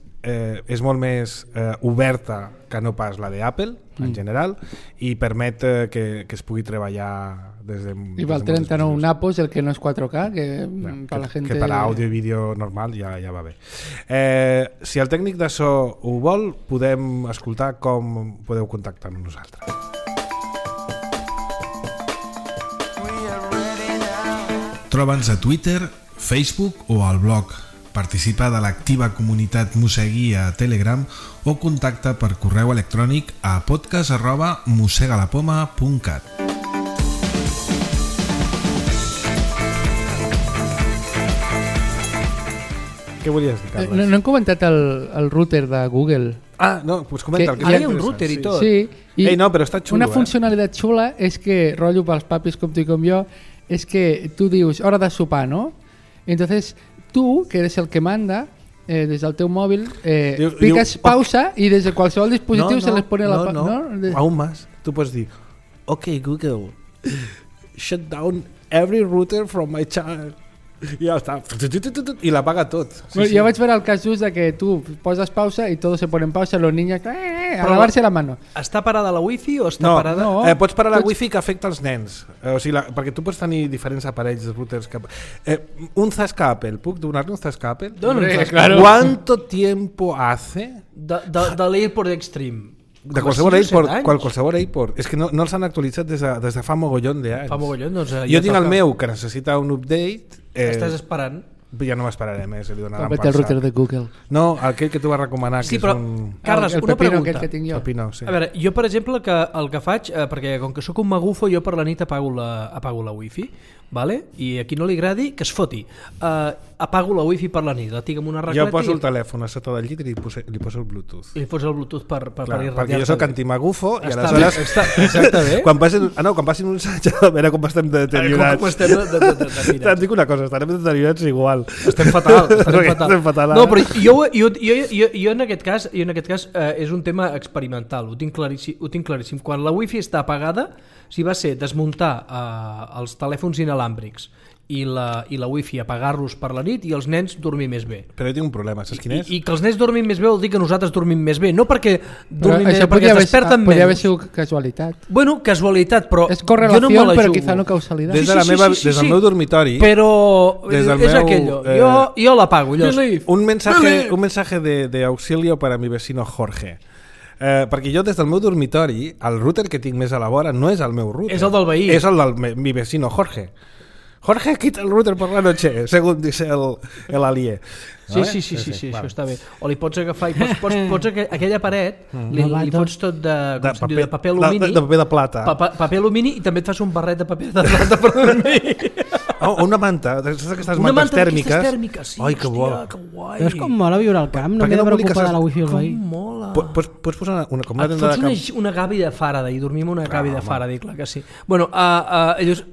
oberta que no pas la d'Apple en general, i permet que es pugui treballar des de... I val 39 napos, el que no és 4K, que per àudio i vídeo normal ja va bé. Si el tècnic de so ho vol, podem escoltar com podeu contactar amb nosaltres. Troba'ns a Twitter, Facebook o al blog. Participa de l'activa comunitat Mosegui a Telegram o contacta per correu electrònic a podcast@mosegalapoma.cat. Què volies dir, Carles? No hem comentat el router de Google. No, doncs comenta'l. Hi ha un router i tot. Sí, no, però està xulo. Una funcionalitat xula és que, rotllo pels papis com tu i com jo, és que tu dius hora de sopar, ¿no? Entonces tú, que eres el que manda, des del teu mòvil, piques pausa i des de qualsevol dispositiu se les pone la pausa. No, aún más. Tu pots dir, ok, Google, shut down every router from my child. I ja està. I l'apaga tot. Jo vaig veure el cas just de que tu poses pausa i tot se pone en pausa, los niños a lavarse la mano. Està parada la wifi o està parada? No, pots parar la wifi que afecta els nens. O sigui, perquè tu pots tenir diferents aparells de routers. Un Zasca Apple, puc donar-li un Zasca Apple? Claro. ¿Cuánto tiempo hace? De l'AirPort Extreme. De qualsevol AirPort. És que no els han actualitzat des de fa mogollon d'anys. Jo tinc el meu que necessita un update. Estàs esperant? Ja no m'esperaré més, li donaran per el router de Google. No, aquell que tu vas recomanar. Sí, però, Carles, una pregunta. Que tinc jo. Pepino, sí. A veure, jo per exemple el que faig, perquè com que sóc un magufo, jo per la nit apago la wifi, vale? I a qui no li agradi, que es foti. Apago la wifi per la nit, la tinc amb una racleta. Jo poso el telèfon a sota del llit i li poso el Bluetooth. I li poso el Bluetooth per irradiar-te. Perquè jo sóc antimagufo i aleshores... Està bé. Quan passin uns anys a veure com estem deteriorats. Com estem deteriorats. Et dic una cosa, estarem deteriorats igual. Estem fatal. No, però jo en aquest cas és un tema experimental, ho tinc claríssim. Quan la wifi està apagada, si va ser desmuntar els telèfons inalàmbrics i la wifi apagar-los per la nit i els nens dormir més bé. Però jo tinc un problema, saps quin és? I que els nens dormin més bé vol dir que nosaltres dormim més bé, no perquè dormim més bé, perquè es desperten menys. Podria haver sigut casualitat. Bueno, casualitat, però és correlació, jo no me la però jugo. quizá no causalitat. Des del meu dormitori... Però és aquello. Jo l'apago. Un mensaje de auxilio para mi vecino Jorge. Perquè jo des del meu dormitori el router que tinc més a la vora no és el meu router. És el del veí. És el del mi vecino Jorge. Jorge, quita el router por la noche, según dice el alié. Sí, això està bé. O li pots agafar i pots aquella paret, li fots tot de paper alumini. De paper de plata. Paper alumini i també et fas un barret de paper de plata per dormir. Una manta, d'aquestes mantes tèrmiques. Sí, ai, que bo. Que guai. Però és com mola viure al camp, no m'he de preocupar de la wifi al veí. Com mola. Pots posar una et fots una gavi de Faraday i dormim una gavi de Faraday, clar que sí. Bueno, llavors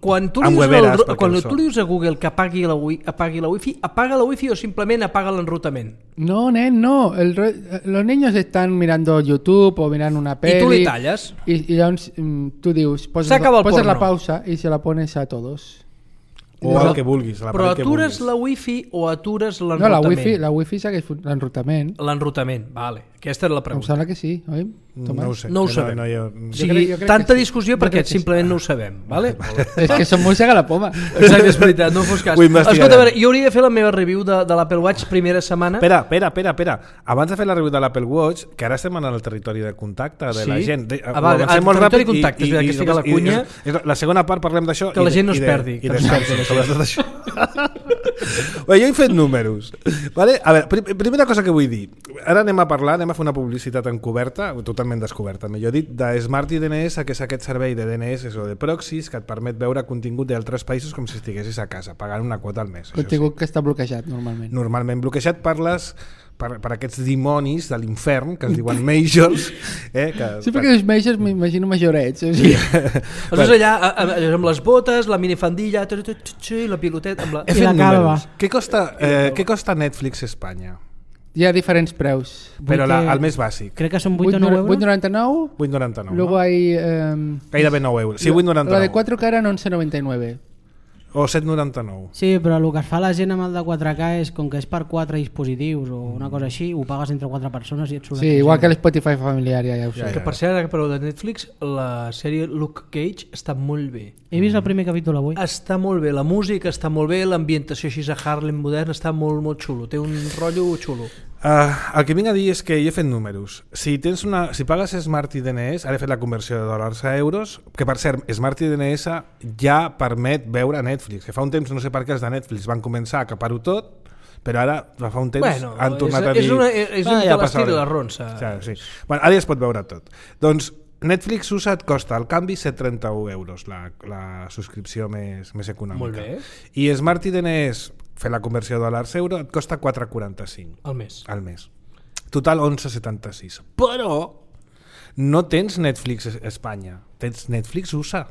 quan tu li dius a Google que apagui la wifi, apaga la wifi o simplement apaga l'enrutament? No, nen, no. Los niños están mirando YouTube o mirando una peli. I tu li talles? Y tú dius, poses la pausa y se la pones a todos. O el que vulguis. Però atures la wifi o atures l'enrutament? No, la wifi segueix l'enrutament. L'enrutament, vale. Aquesta era la pregunta. Em sembla que sí, oi? No ho sé. No ho sabem. O sigui, tanta discussió perquè simplement no ho sabem. Vale? És que som molt a la poma. Exacte, és veritat, no fos cas. Escolta, a veure, jo hauria de fer la meva review de l'Apple Watch primera setmana. Espera. Abans de fer la review de l'Apple Watch, que ara estem en el territori de contacte de la gent. El territori de contacte, que estic a la cunya. La segona part parlem d'això. Que la gent no es perdi. I de Samsung, sobretot això. Bé, jo he fet números. Vale? A veure, primera cosa que vull dir. Ara anem a fer una publicitat encoberta, totalment descoberta, millor dit, de Smart DNS, que és aquest servei de DNS o de proxys que et permet veure contingut d'altres països com si estiguessis a casa, pagant una quota al mes. Contingut que està bloquejat normalment. Normalment bloquejat per aquests dimonis de l'infern que es diuen majors. Sí, perquè els majors m'imagino majorets. O sigui. Aleshores allà amb les botes, la minifandilla i la piloteta i la calva. Què costa Netflix Espanya? Hi ha diferents preus. Però el més bàsic. Crec que són 8 o 9 euros. 8,99. 8,99. Luego hay... Gairebé 9 euros. Sí, 8,99. La de 4K era 11,99. O 7,99. Sí, però el que es fa la gent amb el de 4K és, com que és per 4 dispositius o una cosa així, ho pagues entre 4 persones i et surt... Sí, igual que l'Spotify familiar, ja ho sé. Que per cert, ara que parleu de Netflix, la sèrie Luke Cage està molt bé. He vist el primer capítol avui. Està molt bé, la música està molt bé, l'ambientació així a Harlem modern està molt, molt xulo, té un rotllo xulo. El que vinc a dir és que jo he fet números. Si pagues Smart DNS, ara he fet la conversió de dòlars a euros, que per cert, Smart DNS ja permet veure Netflix, que fa un temps, no sé per què els de Netflix van començar a acapar-ho tot, però ara fa un temps han tornat a dir... És un de l'estil de la ronça. Sí. Ara ja es pot veure tot. Doncs Netflix USA et costa al canvi 7,31 euros, la subscripció més econòmica. Molt bé. I Smart DNS, fer la conversió de dòlars a euro, et costa 4,45 al mes. Total 11,76. Però no tens Netflix Espanya, tens Netflix USA,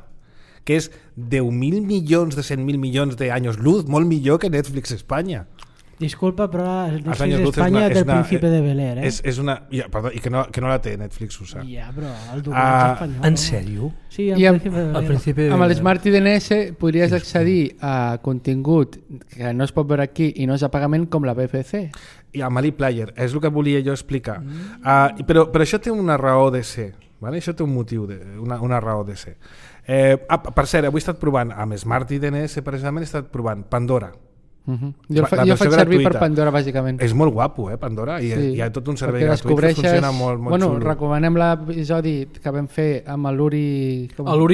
que és 10.000 milions de 100.000 milions d'anys luz, molt millor que Netflix Espanya. Disculpa, però Netflix Espanya és del Príncipe de Bel-Air, És una... Perdó, i que no la té Netflix USA. Ja, però el doblatge espanyol... En sèrio? Sí, el Príncipe de Bel-Air. Amb l'Smart DNS podries accedir a contingut que no es pot veure aquí i no és a pagament com la BBC. I amb l'ePlayer, és el que volia jo explicar. Però això té una raó de ser. Vale? Això té un motiu, una raó de ser. Per cert, avui he estat provant amb Smart DNS, precisament he estat provant Pandora. Jo faig servir per Pandora bàsicament. És molt guapo, Pandora, i hi ha tot un servei gratuït que funciona molt xulo. Recomanem l'episodi que vam fer amb l'Uri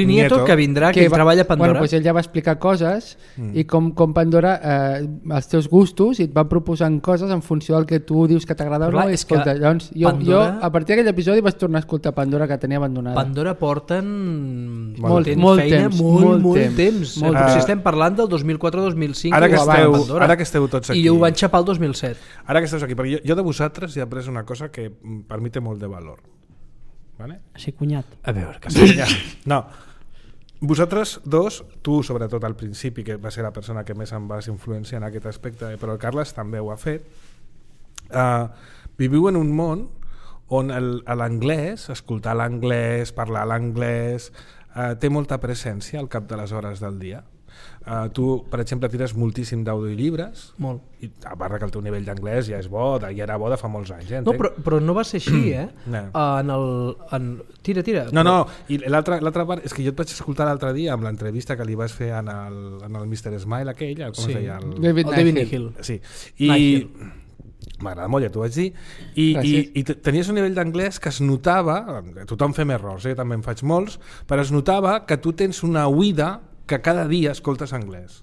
Nieto, que vindrà, que treballa a Pandora. Pues ell ja va explicar coses i com Pandora els teus gustos i et va proposant coses en funció del que tu dius que t'agrada o no. Llavors jo a partir d'aquell episodi vaig tornar a escoltar Pandora, que tenia abandonada. Pandora porten molt temps. Si estem parlant del 2004-2005 Ara que esteu tots aquí. I ho van xapar el 2007. Ara que esteu aquí, perquè jo de vosaltres he après una cosa que per mi té molt de valor. Vale? Sí, cunyat. A veure, que sí. No. Vosaltres dos, tu sobretot al principi, que va ser la persona que més em vas influenciar en aquest aspecte, però el Carles també ho ha fet, viviu en un món on l'anglès, escoltar l'anglès, parlar l'anglès, té molta presència al cap de les hores del dia. Tu, per exemple, tires moltíssim d'audiollibres. Molt. I a part que el teu nivell d'anglès ja és bo, ja era bo de fa molts anys. No, però no va ser així, Tira. No, i l'altra part és que jo et vaig escoltar l'altre dia amb l'entrevista que li vas fer en el Mr. Smile aquell, com es deia? David Nihill. Sí, i m'agrada molt, ja t'ho vaig dir, i tenies un nivell d'anglès que es notava, tothom fem errors, també en faig molts, però es notava que tu tens una oïda que cada dia escoltes anglès.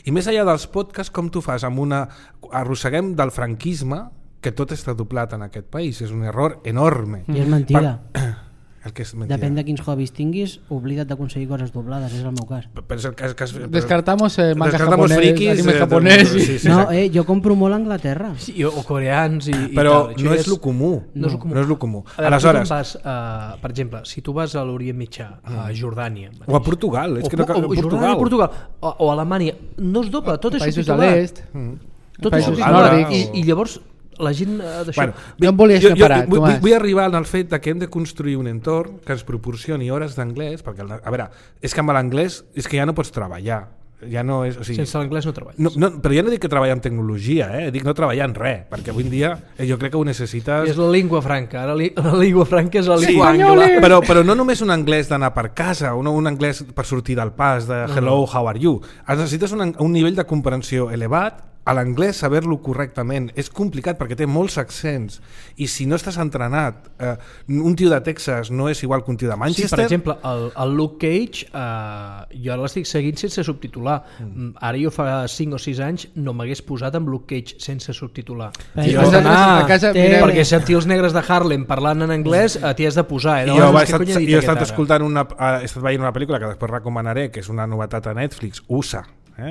I més enllà dels podcasts, com tu fas? Arrosseguem del franquisme, que tot està doblat en aquest país, és un error enorme. I és mentida. El que és mentida. Depèn de quins hobbies tinguis, oblida't d'aconseguir coses doblades, és el meu cas. Però és el cas Descartamos manga descartamos japonès, frikis, anime japonès. Sí, no, jo compro molt a Anglaterra. Sí, o coreans però i tal. No és el comú. No és el comú. Aleshores, per exemple, si tu vas a l'Orient Mitjà, a Jordània... O a Portugal. Jordània, Portugal. O a Alemanya. No es dobla, tot és subtitulat. Tot és subtitulat. I llavors... la gent d'això... Jo em volia separar, Tomàs. Vull arribar al fet que hem de construir un entorn que ens proporcioni hores d'anglès, perquè, a veure, és que amb l'anglès és que ja no pots treballar. Ja no és, o sigui, sense l'anglès no treballes. No, però ja no dic que treballar en tecnologia, dic no treballar en res, perquè avui en dia jo crec que ho necessites... És la llengua franca, ara la llengua franca és la llengua angla. Però no només un anglès d'anar per casa, un anglès per sortir del pas, de hello, how are you. Necessites un nivell de comprensió elevat, a l'anglès saber-lo correctament és complicat perquè té molts accents i si no estàs entrenat un tio de Texas no és igual que un tio de Manchester. Sí, per exemple, el Luke Cage jo l'estic seguint sense subtitular. Ara jo fa 5 o 6 anys no m'hagués posat amb Luke Cage sense subtitular. Perquè sentir els negres de Harlem parlant en anglès t'hi has de posar. Jo he estat escoltant he estat veient una pel·lícula que després recomanaré, que és una novetat a Netflix, USA,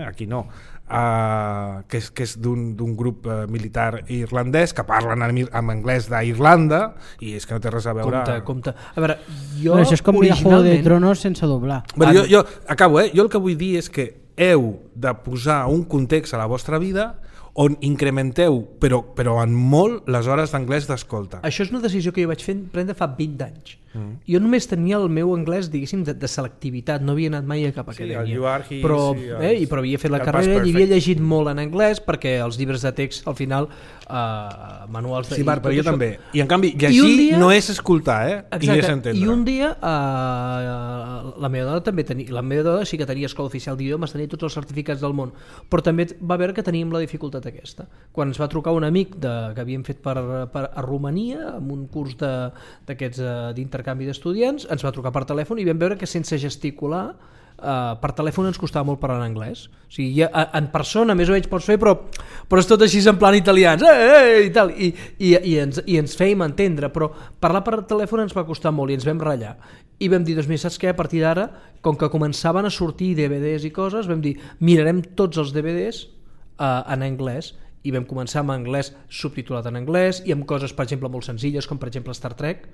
aquí no, que és d'un grup militar irlandès que parlen en anglès d'Irlanda i és que no té res a veure. Compte. A veure, jo això és com mirar Juego de Tronos sense doblar. Jo acabo, jo el que vull dir és que heu de posar un context a la vostra vida on incrementeu, però en molt, les hores d'anglès d'escolta. Això és una decisió que jo vaig prendre fa 20 anys. Jo només tenia el meu anglès, diguéssim, de selectivitat, no havia anat mai a cap acadèmia. Però havia fet la carrera i havia llegit molt en anglès perquè els llibres de text, al final, manuals... Sí, però jo també. I en canvi, llegir no és escoltar, i és entendre. I un dia, la meva dona també tenia... La meva dona sí que tenia escola oficial d'idiomes, tenia tots els certificats del món, però també va veure que teníem la dificultat aquesta. Quan ens va trucar un amic que havíem fet a Romania, amb un curs d'aquests d'intercanvi d'estudiants, ens va trucar per telèfon i vam veure que sense gesticular per telèfon ens costava molt parlar en anglès. O sigui, en persona més o menys pots fer, però és tot així en plan italians i tal, i ens fèiem entendre, però parlar per telèfon ens va costar molt i ens vam ratllar i vam dir, doncs mira, saps què? A partir d'ara, com que començaven a sortir DVDs i coses, vam dir, mirarem tots els DVDs en anglès i vam començar amb anglès subtitulat en anglès i amb coses, per exemple, molt senzilles com per exemple Star Trek.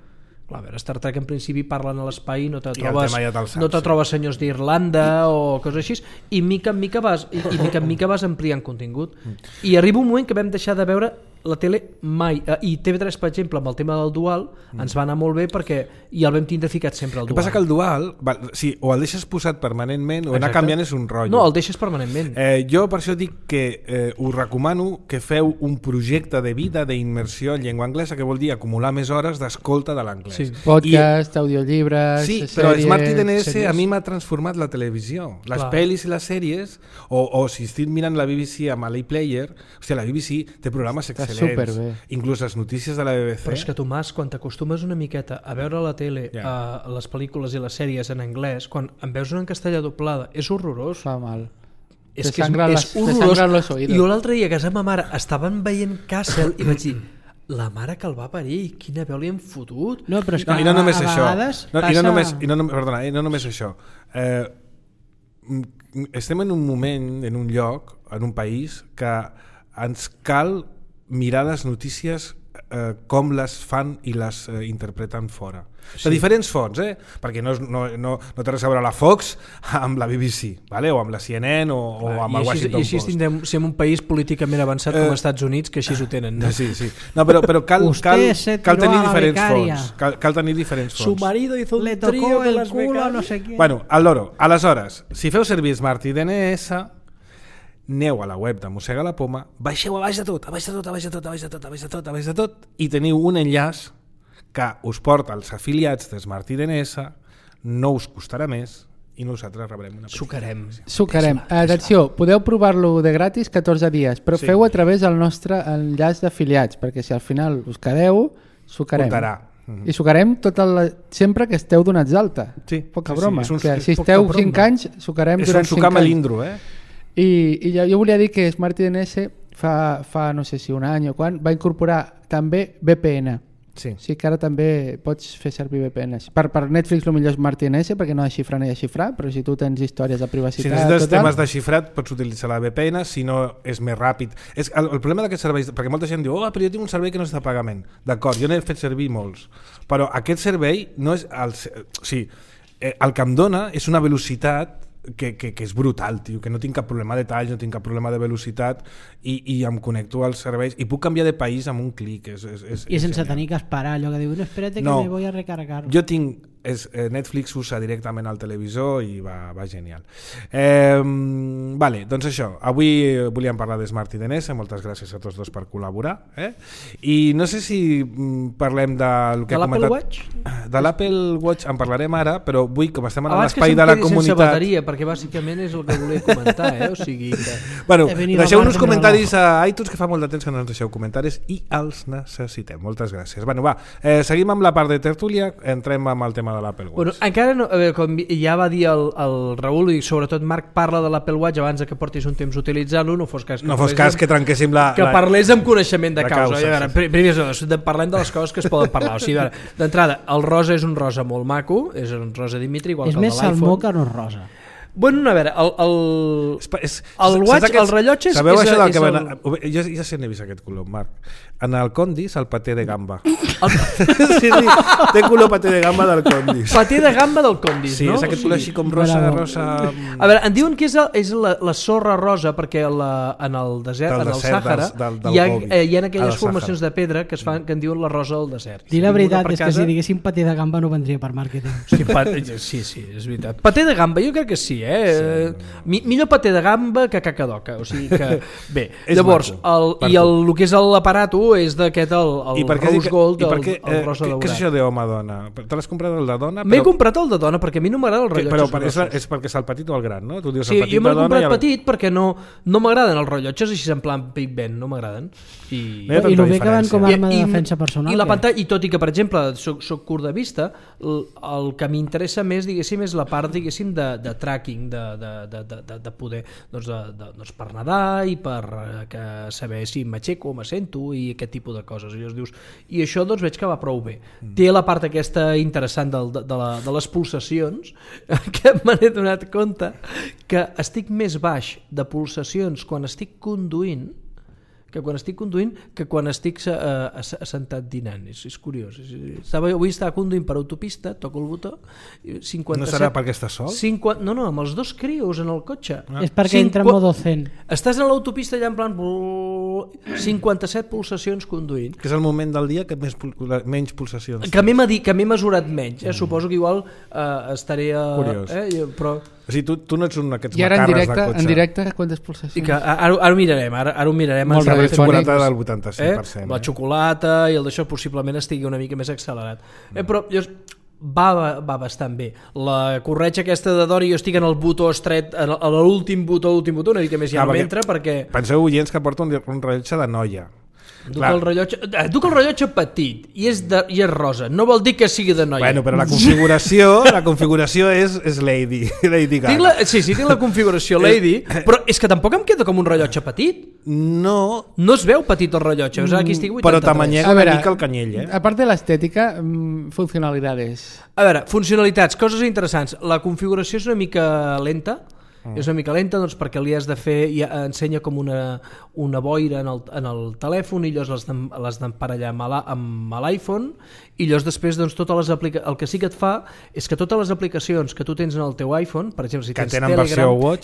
Clar, a veure, Star Trek en principi parlen a l'espai i no te trobes senyors d'Irlanda o coses així, i mica en mica vas ampliant contingut. I arriba un moment que vam deixar de veure la tele mai, i TV3 per exemple amb el tema del dual ens va anar molt bé perquè ja el vam tindre ficat sempre al dual. El que passa que el dual, sí, o el deixes posat permanentment o anar canviant és un rotllo. No, el deixes permanentment. Jo per això dic que us recomano que feu un projecte de vida d'immersió en llengua anglesa, que vol dir acumular més hores d'escolta de l'anglès. Sí. Podcast, audiollibres, sí, però el Smart IDNS a mi m'ha transformat la televisió. Les pel·lis i les sèries, o si estic mirant la BBC amb l'iPlayer, hòstia, la BBC té programes excel·lents. Inclús les notícies de la BBC. Però és que, Tomàs, quan t'acostumes una miqueta a veure la tele, les pel·lícules i les sèries en anglès, quan en veus una en castellà doblada, és horrorós. Fa mal. És que és horrorós. Jo l'altre dia a casa ma mare estaven veient Castle i vaig dir, la mare que el va parir, quina veu li han fotut. No, però és que i no només això. I no només això. Estem en un moment, en un lloc, en un país que ens cal mirar les notícies com les fan i les interpreten fora. De diferents fonts, perquè no té res a veure la Fox amb la BBC, vale? O amb la CNN o amb el Washington Post. I així tindrem, si en un país políticament avançat com els Estats Units, que així ho tenen. No? Sí. No, però cal tenir diferents fonts. Cal tenir diferents fonts. Su marido hizo un trío de las becarias. No sé quién. Bueno, al loro. Aleshores, si feu servir Smart i DNS, aneu a la web de Mossega la Poma, baixeu a baix de tot i teniu un enllaç que us porta als afiliats de Smart i DNS, no us costarà més i nosaltres rebrem una Sucarem. Atenció, podeu provar-lo de gratis 14 dies, però feu a través del nostre enllaç d'afiliats, perquè si al final us quedeu, sucarem. Comptarà. I sucarem sempre que esteu donats d'alta. Sí. Poca broma. Si esteu 5 anys, sucarem durant 5 anys. És un sucar melindro, I jo volia dir que Smart DNS fa no sé si un any o quan va incorporar també VPN. Sí. O sigui que ara també pots fer servir VPNs. Per Netflix el millor és Smart DNS perquè no ha de xifrar ni de xifrar, però si tu tens històries de privacitat... Si necessites temes de xifrat pots utilitzar la VPN, si no és més ràpid. El problema d'aquests serveis, perquè molta gent diu però jo tinc un servei que no està a pagament. D'acord, jo n'he fet servir molts, però aquest servei no és... el que em dona és una velocitat que és brutal, tio, que no tinc cap problema de talls, no tinc cap problema de velocitat i em connecto als serveis i puc canviar de país amb un clic. I sense tenir que esperar allò que diu no, espérate que me voy a recargar. Jo tinc Netflix usa directament al televisor i va genial. Vale, doncs això, avui volíem parlar de Smart i DNS, moltes gràcies a tots dos per col·laborar, i no sé si parlem del que de l'Apple Watch? De l'Apple Watch en parlarem ara, però vull, com estem a l'espai de la comunitat... Sense bateria, perquè bàsicament és el que volia comentar, o sigui que... Bueno, deixeu-nos comentaris a iTunes, que fa molt de temps que no ens deixeu comentaris i els necessitem. Moltes gràcies. Bueno, va, seguim amb la part de tertúlia, entrem amb el tema de l'Apple Watch. Bueno, encara no, com ja va dir el Raül i sobretot Marc parla de l'Apple Watch abans que portis un temps utilitzant-lo, no fos cas que trenquéssim que parlés amb coneixement de causa. Primer, parlem de les coses que es poden parlar. O sigui, d'entrada, el rosa és un rosa molt maco, és un rosa Dimitri, igual que el de l'iPhone. És més salmó que no rosa. Bueno, a veure, el watch, el rellotge... Sabeu això del que... Jo ja sé n'he vist aquest color, Marc. En el Condis, el paté de gamba. Sí, té color paté de gamba del Condis. Paté de gamba del Condis, sí, no? Sí, és aquest color així com rosa... A veure, em diuen que és la sorra rosa perquè en el desert, en el Sàhara, hi ha aquelles formacions de pedra que en diuen la rosa del desert. Dir la veritat és que si diguéssim paté de gamba no vendria per màrqueting. Sí, és veritat. Paté de gamba, jo crec que sí, millor paté de gamba que cacadoca, o sigui que bé, llavors el que és l'aparato és d'aquest el rose gold, el rosa daurat. Què és això d'home-dona? Te l'has comprat el de dona? M'he comprat el de dona perquè a mi no m'agrada el rellotges però és perquè és el petit o el gran, no? Sí, jo m'he comprat petit perquè no m'agraden els rellotges així en plan Big Ben, no m'agraden i el bé que van com a arma de defensa personal i la pantalla, i tot i que per exemple soc curt de vista, el que m'interessa més diguéssim és la part diguéssim de tracking, de poder doncs per nedar i per saber si m'aixeco o m'assento i aquest tipus de coses. I això doncs veig que va prou bé. Té la part aquesta interessant de les pulsacions, que me n'he donat compte que estic més baix de pulsacions quan estic conduint que quan estic assentat dinant. És curiós. Avui estava conduint per autopista, toco el botó 57... No serà perquè estàs sol? No, amb els dos crios en el cotxe. És perquè entra en modo zen. Estàs a l'autopista allà en plan 57 pulsacions conduint. Que és el moment del dia que menys pulsacions. Que m'he mesurat menys. Suposo que igual estaré... Curiós. Però... O sigui, tu no ets un d'aquests macarres de cotxe. En directe, quantes pulsacions? I que ara ho mirarem. Ara ho mirarem. La xocolata del 85%. La xocolata i el d'això possiblement estigui una mica més accelerat. Però va bastant bé. La corretja aquesta de dona, jo estic en el botó estret, a l'últim botó, una mica més ja no m'entra perquè... Penseu, oients, que porta un rellotge de noia. Duc el rellotge petit i és rosa, no vol dir que sigui de noia. Bueno, però la configuració és Lady Gaga. Sí, tinc la configuració Lady, però és que tampoc em queda com un rellotge petit. No es veu petit el rellotge, aquí estic 83. Però tamanyega una mica el canyell. A part de l'estètica, funcionalitats. A veure, funcionalitats, coses interessants. La configuració és una mica lenta, És una mica lenta doncs, perquè li has de fer, ensenya com una boira en el telèfon i llavors l'has d'emparellar amb l'iPhone i llavors després doncs, el que sí que et fa és que totes les aplicacions que tu tens en el teu iPhone, per exemple, si tens Telegram,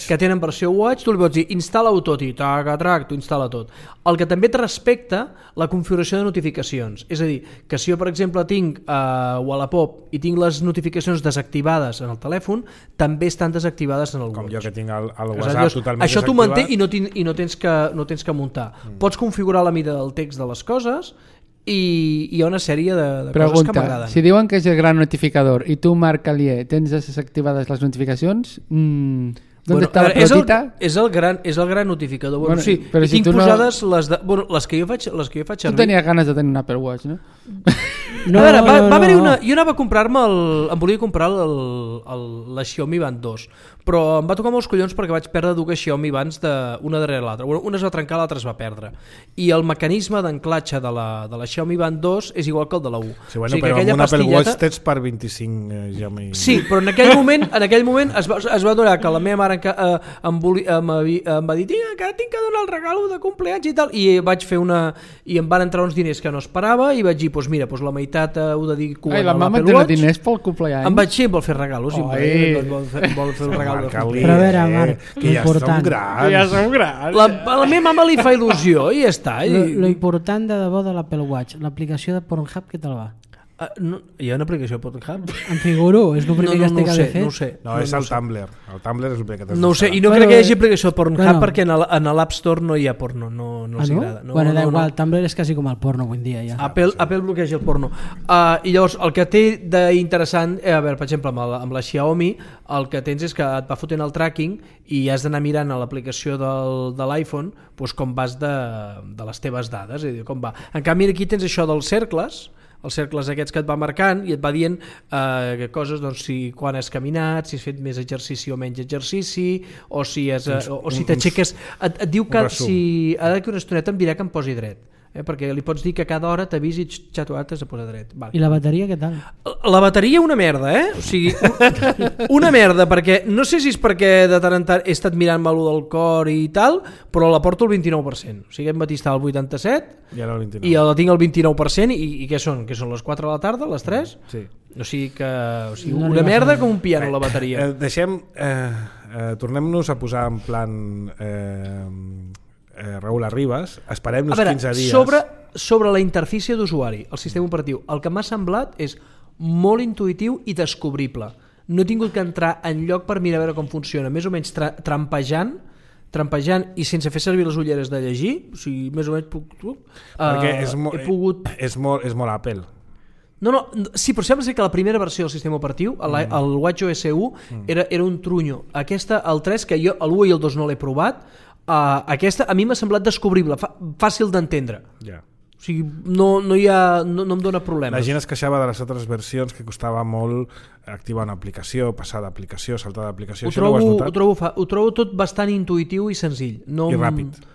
que tenen versió Watch, tu li pots dir instal·la-ho tot i tac, tu instal·la tot. El que també et respecta la configuració de notificacions. És a dir, que si jo, per exemple, tinc Wallapop i tinc les notificacions desactivades en el telèfon, també estan desactivades en el Watch. Com jo que tinc el WhatsApp totalment això t'ho manté i no tens que muntar. Pots configurar la mida del text de les coses i hi ha una sèrie de coses que m'agraden. Si diuen que és el gran notificador i tu, Marc Alier, tens desactivades les notificacions... Bueno, és el gran notificador. Bueno, sí, però si tinc posades les que jo faig servir. Tu tenies ganes de tenir un Apple Watch, no? Va haver-hi una... Jo anava a comprar-me em volia comprar la Xiaomi Band 2, però em va tocar molts collons perquè vaig perdre dues Xiaomi Bands una darrere l'altra. Una es va trencar, l'altra es va perdre. I el mecanisme d'anclatge de la Xiaomi Band 2 és igual que el de la 1. Sí, bueno, però amb un Apple Watch tens per 25 Xiaomi... Sí, però en aquell moment es va donar que la meva mare em va dir que tinc que donar el regalo de compleanys i tal, i vaig fer i em van entrar uns diners que no esperava i vaig dir, doncs mira, la meitat ho dedico a la mama té diners pel compleany. Em vaig vol fer regalos vol fer un regal. Però a veure, Marc, que ja som grans. La meva mama li fa il·lusió i ja està. Lo important de debò de l'Apple Watch, l'aplicació de Pornhub, què tal va? Hi ha una aplicació Pornhub? Em figuro, és el primer que has de fer. No ho sé. No, és el Tumblr. El Tumblr és el primer que t'has de fer. No ho sé, i no crec que hi hagi aplicació Pornhub perquè en l'App Store no hi ha porno, no els agrada. Bueno, da igual, Tumblr és quasi com el porno avui en dia ja. Apple bloqueja el porno. I llavors, el que té d'interessant, a veure, per exemple, amb la Xiaomi, el que tens és que et va fotent el tracking i has d'anar mirant a l'aplicació de l'iPhone com vas de les teves dades, com va. En canvi, aquí tens això dels cercles, els cercles aquests que et va marcant i et va dient coses, doncs, quan has caminat, si has fet més exercici o menys exercici, o si t'aixeques, et diu que si ha d'aquí una estoneta em dirà que em posi dret, perquè li pots dir que cada hora t'avisi i xatuat has de posar dret. I la bateria què tal? La bateria una merda, o sigui, una merda, perquè no sé si és perquè de tant en tant he estat mirant-me-lo del cor i tal, però la porto al 29%, o sigui, aquest matí estava al 87% i ara el 29%. I la tinc al 29% i què són? Que són les 4 de la tarda, les 3? Sí. O sigui que una merda com un piano la bateria. Tornem-nos a posar en plan Raül Arribas, esperem-nos 15 dies. Sobre la interfície d'usuari, el sistema operatiu, el que m'ha semblat és molt intuïtiu i descobrible. No he tingut que entrar en lloc per mirar a veure com funciona, més o menys trampejant i sense fer servir les ulleres de llegir, o sigui, més o menys perquè és molt Apple. No, sí, però sembla ser que la primera versió del sistema operatiu, el WatchOS 1, era un trunyo. Aquesta, el 3, que jo l'1 i el 2 no l'he provat, aquesta a mi m'ha semblat descobrible, fàcil d'entendre. O sigui, no em dóna problemes. La gent es queixava de les altres versions que costava molt activar una aplicació, passar d'aplicació, saltar d'aplicació. Ho trobo tot bastant intuïtiu i senzill. I ràpid.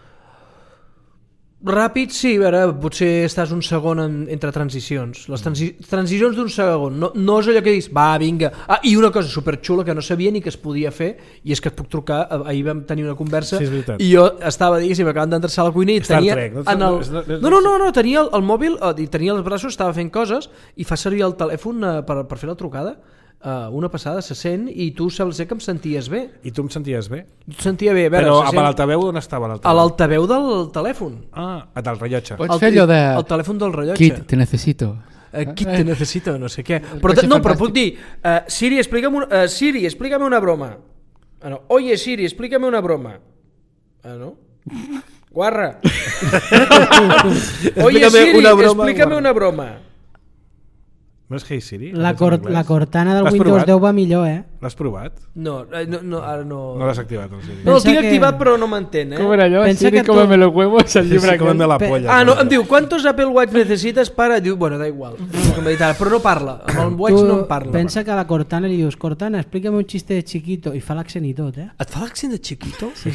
Ràpid, sí, a veure, potser estàs un segon entre transicions. Les transicions d'un segon, no és allò que dius, va, vinga. I una cosa superxula que no sabia ni que es podia fer, i és que et puc trucar, ahir vam tenir una conversa, i jo estava, diguéssim, acabant d'entrar a la cuina i tenia... No, tenia el mòbil, i tenia els braços, estava fent coses, i fa servir el telèfon per fer la trucada. Una passada, se sent, i tu saps que em senties bé. I tu em senties bé? Et sentia bé, a veure, però a l'altaveu on estava l'altaveu? A l'altaveu del telèfon. Del rellotge. Pots fer allò de... El telèfon del rellotge. Kit, te necesito. Kit, te necesito, no sé què. Però puc dir, Siri, explícame una broma. Oye, Siri, explícame una broma. No? Guarra. Oye, Siri, explícame una broma. No és Hey Siri? La Cortana del Windows 10 va millor, L'has provat? No, ara no... No l'has activat, el Siri? No, el tinc activat però no m'entén, Com era allò? Siri, cómeme los huevos, el llibre que... Cómeme la polla. No, em diu, ¿cuántos Apple Watch necesitas para...? Diu, bueno, da igual. Però no parla, amb el Watch no em parla. Pensa que a la Cortana li dius, Cortana, explícame un chiste de chiquito, i fa l'accent i tot, Et fa l'accent de chiquito? Sí.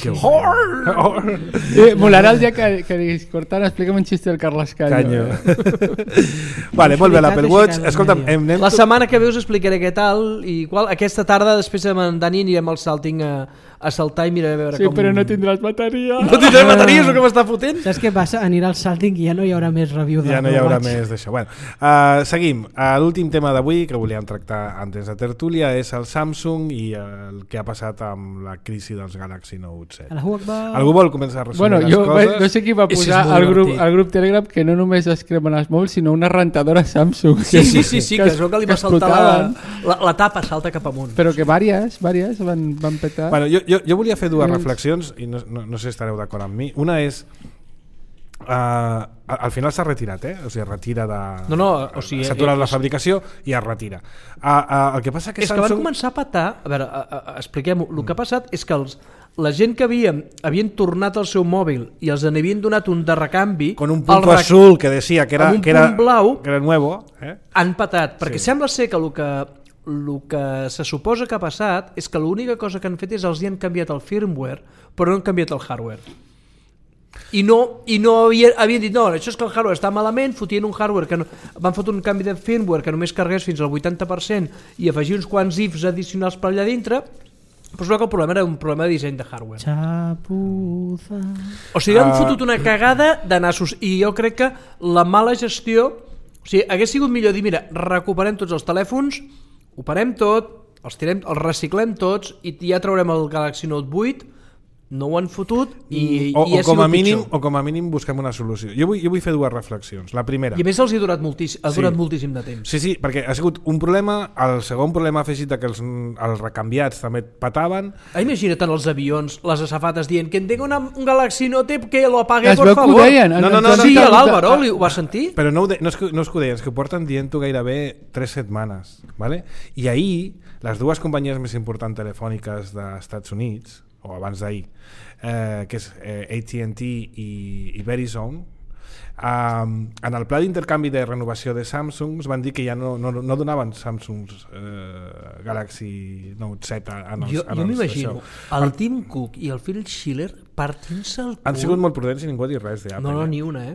Molarà el dia que diguis, Cortana, explícame un chiste del Carles Canyo. Vale, molt bé, l'Apple Watch. Escolta'm, la setmana que ve us explicaré què tal i qual. Aquesta tarda, després amb en Dani, anirem al Salting a a saltar i mirar a veure com... Sí, però no tindràs bateria. No tindràs bateria, és el que m'està fotent. Saps què passa? Anirà al salting i ja no hi haurà més review ja no hi haurà més d'això. Bueno, seguim. L'últim tema d'avui que volíem tractar antes de tertúlia és el Samsung i el que ha passat amb la crisi dels Galaxy Note 7. Algú vol començar a resumir les coses? No sé qui va posar al grup Telegram que no només es cremen els mòbils, sinó una rentadora Samsung. Sí, que es veu que li va saltar la tapa, salta cap amunt. Però que vàries van petar. Bueno, jo volia fer dues reflexions i no sé si estareu d'acord amb mi. Una és al final s'ha retirat, o sigui, retira de... s'ha aturat la fabricació i es retira. El que passa que és que van començar a petar, a veure, expliquem-ho, el que ha passat és que la gent que havien tornat el seu mòbil i els n'havien donat un de recanvi con un punto azul que decía que era blau, que era nuevo, han patat, perquè sembla ser que el que se suposa que ha passat és que l'única cosa que han fet és els hi han canviat el firmware però no han canviat el hardware i no havien dit no, això és que el hardware està malament, fotien un hardware que no, van fotre un canvi de firmware que només carregués fins al 80% i afegir uns quants ifs addicionals per allà dintre, però que el problema era un problema de disseny de hardware. Xapuza. O sigui, han fotut una cagada de nassos i jo crec que la mala gestió, o sigui, hagués sigut millor dir, mira, recuperem tots els telèfons, ho parem tot, els reciclem tots i ja traurem el Galaxy Note 8, no ho han fotut i ha sigut pitjor. O com a mínim busquem una solució. Jo vull fer dues reflexions. La primera... I a més els ha durat moltíssim de temps. Sí, perquè ha sigut un problema, el segon problema afegit que els recanviats també pataven. Imagina't en els avions, les azafates dient que en tenga un Galaxy Note que lo apague, por favor. No, sí, l'Àlvaro ho va sentir. Però no és que ho deien, és que ho porten dient-ho gairebé 3 setmanes. ¿Vale? I ahir, les dues companyies més importants telefòniques dels Estats Units, o abans d'ahir, que és AT&T i Verizon, en el pla d'intercanvi de renovació de Samsung van dir que ja no donaven Samsungs Galaxy Note 7 jo m'imagino el Tim Cook i el Phil Schiller partint-se el cul. Han sigut molt prudents i ningú ha dit res d'Apple. No, ni una,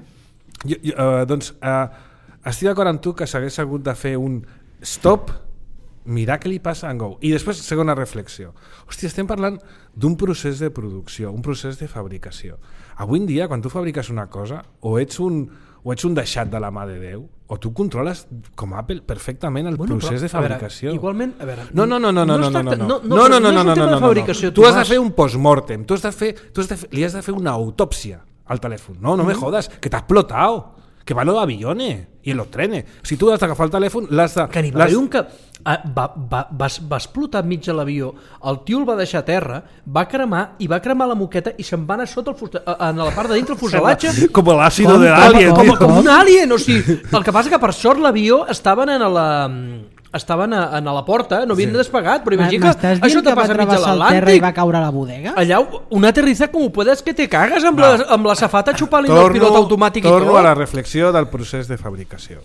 doncs estic d'acord amb tu que s'hagués hagut de fer un stop, mirar què li passa en Go. I després, segona reflexió. Hòstia, estem parlant d'un procés de producció, un procés de fabricació. Avui en dia, quan tu fabriques una cosa, o ets un deixat de la mà de Déu, o tu controles, com Apple, perfectament el procés de fabricació. Igualment, a veure... No. Tu has de fer un postmortem, li has de fer una autòpsia al telèfon. No me jodas, que t'ha explotado. Que va los aviones y en los trenes. Si tu has d'agafar el telèfon, l'has de... Que n'hi va haver un que va explotar enmig de l'avió, el tio el va deixar a terra, va cremar la moqueta i se'n va anar sota en la part de dintre el fuselatge. Com l'àcido de l'alien. Com un alien, o sigui, el que passa que per sort l'avió estaven a la porta, no havien despegat, però imagina que això te passa mig a l'Atlàntic i va caure a la bodega? Allà, un aterriza com ho puedes que te cagues amb la safata xupant-li el pilot automàtic i tot. Torno a la reflexió del procés de fabricació.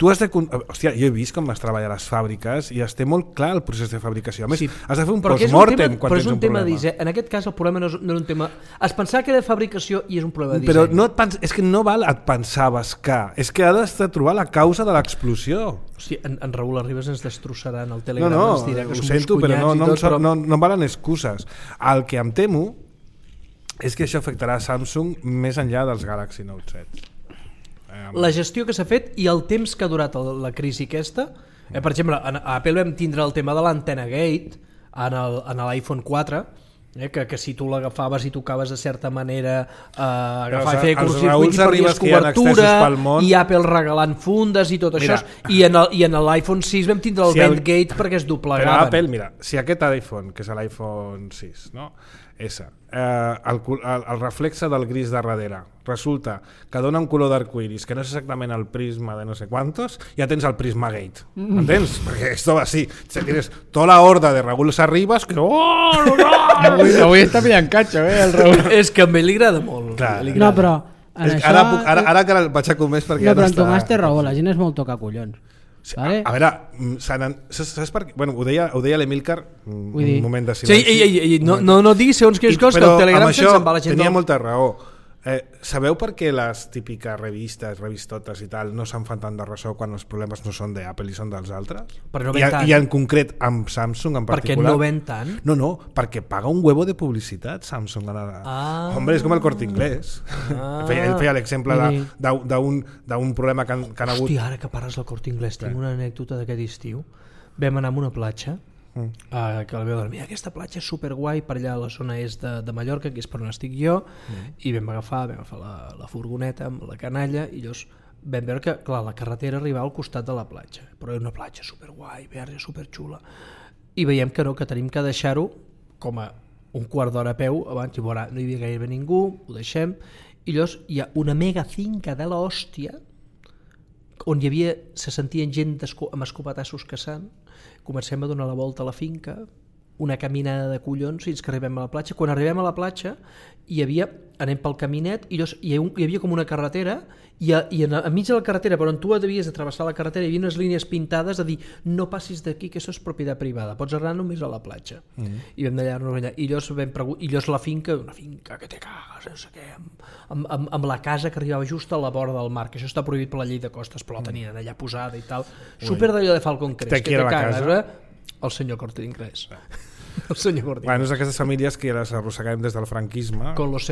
Tu has de... Hòstia, jo he vist com es treballa a les fàbriques i es té molt clar el procés de fabricació. A més, has de fer un postmortem quan tens un problema. En aquest cas el problema no és un tema... Es pensava que era de fabricació i és un problema de disseny. Però no és que no val et pensaves que... És que has de trobar la causa de l'explosió. Hosti, en Raül Arribas ens destrossaran el Telegram. No, ho sento, però no valen excuses. El que em temo és que això afectarà a Samsung més enllà dels Galaxy Note 7. La gestió que s'ha fet i el temps que ha durat la crisi aquesta. Per exemple, a Apple vam tindre el tema de l'antena Gate en l'iPhone 4, que si tu l'agafaves i tocaves de certa manera agafar i fer curtcircuit i perdies cobertura i Apple regalant fundes i tot això. I en l'iPhone 6 vam tindre el Vent Gate perquè es doblegaven. Però Apple, mira, si aquest iPhone, que és l'iPhone 6, no? El reflexe del gris de darrere resulta que dona un color d'arcoiris que no és exactament el prisma de no sé quantos, ja tens el Prisma Gate, entens? Perquè esto va así, tienes tota la horda de Raúl Arribas que avui està pillant catxo, el Raúl. És que a mi li agrada molt. No, però ara que el vaig a comer perquè no, però en Tomàs té raó, la gent és molt tocacollons. Vale. A veure, saps per què? Bueno, ho deia l'Emílcar un moment de silenci. Sí, no diguis segons quines coses que el Telegram se'n va la gent. Tenia molta raó. Sabeu per què les típiques revistotes i tal no se'n fan tant de ressò quan els problemes no són d'Apple i són dels altres? No I en concret amb Samsung en particular. Perquè no ven tant? No, perquè paga un huevo de publicitat Samsung. Hombre, és com el Corte Inglés. Ell feia l'exemple d'un problema que han hagut. Hòstia, ara que parles del Corte Inglés, tinc una anècdota d'aquest estiu. Vam anar a una platja que la veu dormir, aquesta platja és superguai per allà a la zona est de Mallorca, que és per on estic jo, i vam agafar la furgoneta amb la canalla i llavors vam veure que clar, la carretera arribava al costat de la platja, però era una platja superguai, verge, superxula, i veiem que no, que tenim que deixar-ho com a un quart d'hora a peu abans, i veurà, no hi havia gairebé ningú, ho deixem, i llavors hi ha una mega finca de l'hòstia on se sentien gent amb escopetassos caçant. Comencem a donar la volta a la finca, una caminada de collons fins que arribem a la platja. Quan arribem a la platja anem pel caminet i hi havia com una carretera i enmig de la carretera, però on tu devies de travessar la carretera, hi havia unes línies pintades de dir no passis d'aquí, que això és propietat privada, pots anar només a la platja. I vam d'allà, i llavors la finca, una finca que te cagues, no sé què, amb la casa que arribava just a la vora del mar, que això està prohibit per la llei de costes, però la tenien allà posada i tal, super d'allò de Falcon Crest, que te cagues, el senyor Corte Inglés. El senyor Corte Inglés. Bueno, és d'aquestes famílies que les arrosseguem des del franquisme. Con los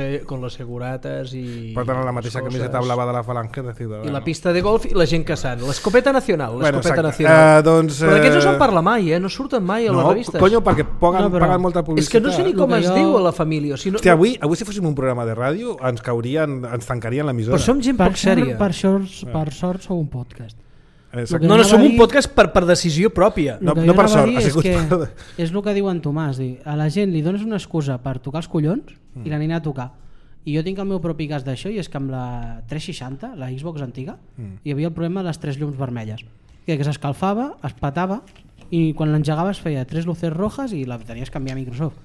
seguratas i... Porten la mateixa camiseta blava de la Falange de Ciudadanos. I la pista de golf i la gent caçant. L'escopeta nacional. Nacional. Però d'aquests no se'n parla mai, no surten mai a les revistes. No, conyo, perquè paguen molta publicitat. És que no sé ni com es diu a la família. Hòstia, avui si fóssim un programa de ràdio ens tancarien l'emissora. Però som gent poc sèria. Per sort sou un podcast. No, som un podcast per decisió pròpia. No per sort, ha sigut és el que diu en Tomàs, a la gent li dones una excusa per tocar els collons i l'anirà a tocar. I jo tinc el meu propi cas d'això, i és que amb la 360, la Xbox antiga, hi havia el problema de les 3 llums vermelles, que s'escalfava, es petava i quan l'engegaves feia 3 luces rojas i la tenies que canviar a Microsoft.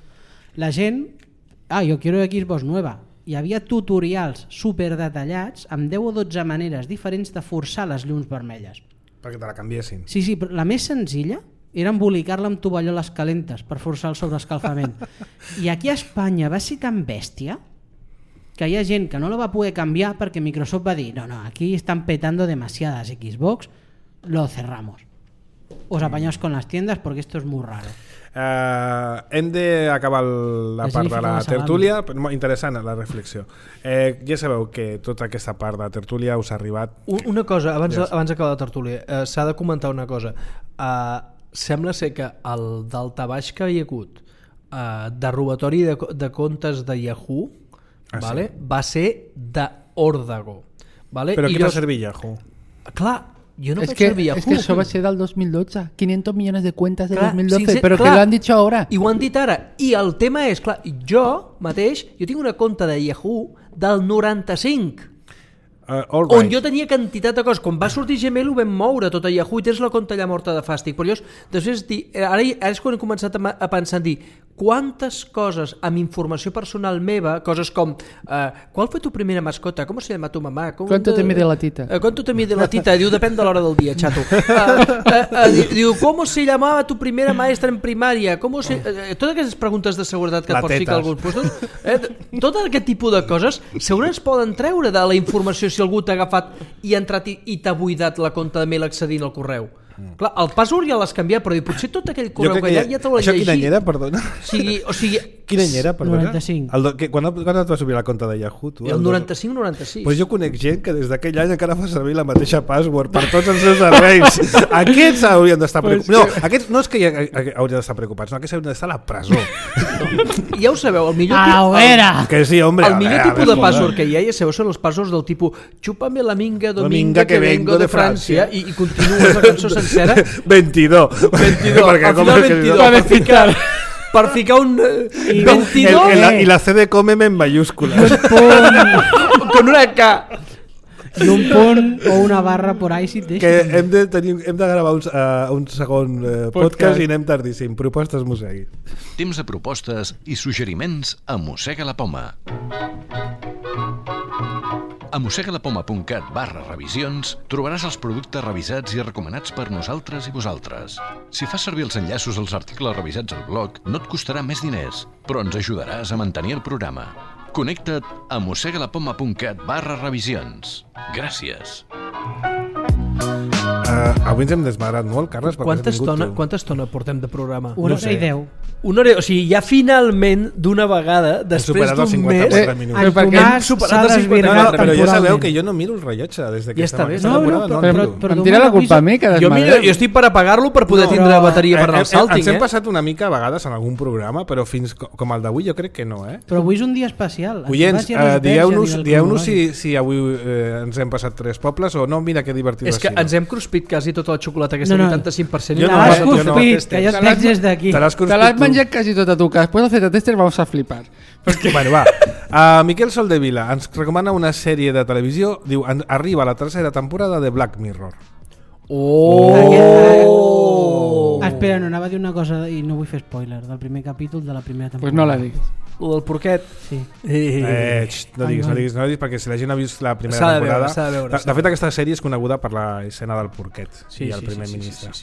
La gent, jo quiero Xbox nueva. Hi havia tutorials super detallats amb 10 o 12 maneres diferents de forçar les llums vermelles. Perquè te la canviessin. Sí, però la més senzilla era embolicar-la amb tovalloles calentes per forçar el sobreescalfament. I aquí a Espanya va ser tan bèstia que hi ha gent que no la va poder canviar perquè Microsoft va dir no, aquí están petando demasiadas Xbox, lo cerramos. Os apañaos con las tiendas porque esto es muy raro. Hem d'acabar la part de la tertúlia. Interessant la reflexió. Ja sabeu que tota aquesta part de tertúlia us ha arribat. Una cosa, abans d'acabar la tertúlia, s'ha de comentar una cosa. Sembla ser que el daltabaix que hi ha hagut de robatori de comptes de Yahoo va ser d'Òrdago. Però qui va servir Yahoo? Clar, yo no pensé en Yahoo. Es que eso va a ser del 2012. 500 millones de cuentas de 2012, pero que lo han dicho ahora. I ho han dit ara. I el tema és, clar, jo tinc una compte de Yahoo del 95, on jo tenia quantitat de coses. Quan va sortir Gmail ho vam moure tot a Yahoo i tens la compte allà morta de fàstic. Però després, ara és quan he començat a pensar en dir quantes coses amb informació personal meva, coses com ¿cuál fue tu primera mascota? ¿Cómo se llama tu mamá? ¿Cuánto te mide la tita? ¿Cuánto te mide la tita? Diu, depèn de l'hora del dia, xato. Diu, ¿cómo se llamaba tu primera maestra en primaria? Totes aquestes preguntes de seguretat que et pots ficar a alguns puestos, tot aquest tipus de coses segurament es poden treure de la informació si algú t'ha agafat i ha entrat i t'ha buidat la compte de mail accedint al correu. Clar, el password ja l'has canviat, però potser tot aquell correu que ja te l'ha llegit. Això quin any era, perdona? O sigui, quin any era, perdona? 95. Quan et vas obrir la compte de Yahoo? Tu? El 95-96. Pues jo conec gent que des d'aquell any encara fa servir la mateixa password per tots els seus serveis. Aquests haurien d'estar preocupats. No, aquests no és que haurien d'estar preocupats, no, aquests haurien d'estar a la presó. Ja ho sabeu, el millor tipus de password que hi ha, ja sabeu, són els passwords del tipus chúpame la minga dominga que vengo de Francia i continues la cançó sencera. 22. Al final 22. Per ficar un 22 i la C de cómeme en mayúsculas con una K i un punt o una barra por ahí si et deixen. Que hem de gravar un segon podcast i anem tardíssim. Propostes Mosegui. Temps de propostes i suggeriments a Mossega la Poma. A mossegalapoma.cat/revisions trobaràs els productes revisats i recomanats per nosaltres i vosaltres. Si fas servir els enllaços als articles revisats al blog, no et costarà més diners, però ens ajudaràs a mantenir el programa. Connecta't a mossegalapoma.cat/revisions. Gràcies. Avui ens hem desmadrat molt, Carles. Quanta estona portem de programa? Una hora i 10. O sigui, ja finalment, d'una vegada, després d'un mes... Hem superat els 54 minuts. Però ja sabeu que jo no miro el rellotge des que està bé. Em tira la culpa a mi que jo estic per apagar-lo per poder tindre bateria per anar al Salting. Ens hem passat una mica a vegades en algun programa, però fins com el d'avui jo crec que no. Però avui és un dia especial. Oients, dieu-nos si avui ens hem passat 3 pobles o no. Mira que divertit. És que ens hem cruspit quasi tota la xocolata, aquesta 85%. Te l'has cruspit, que ja et veig des d'aquí. Te l'has menjat quasi tota tu, que després del Z-Tester vamos a flipar. Bueno, va. Miquel Soldevila ens recomana una sèrie de televisió, diu, arriba la 3ª temporada de Black Mirror. Espera, no anava a dir una cosa i no vull fer spoiler del primer capítol de la primera temporada. Pues no la diguis. Lo del porquet? Sí. No diguis, perquè si la gent ha vist la primera temporada... De fet, aquesta sèrie és coneguda per l'escena del porquet i el primer ministre.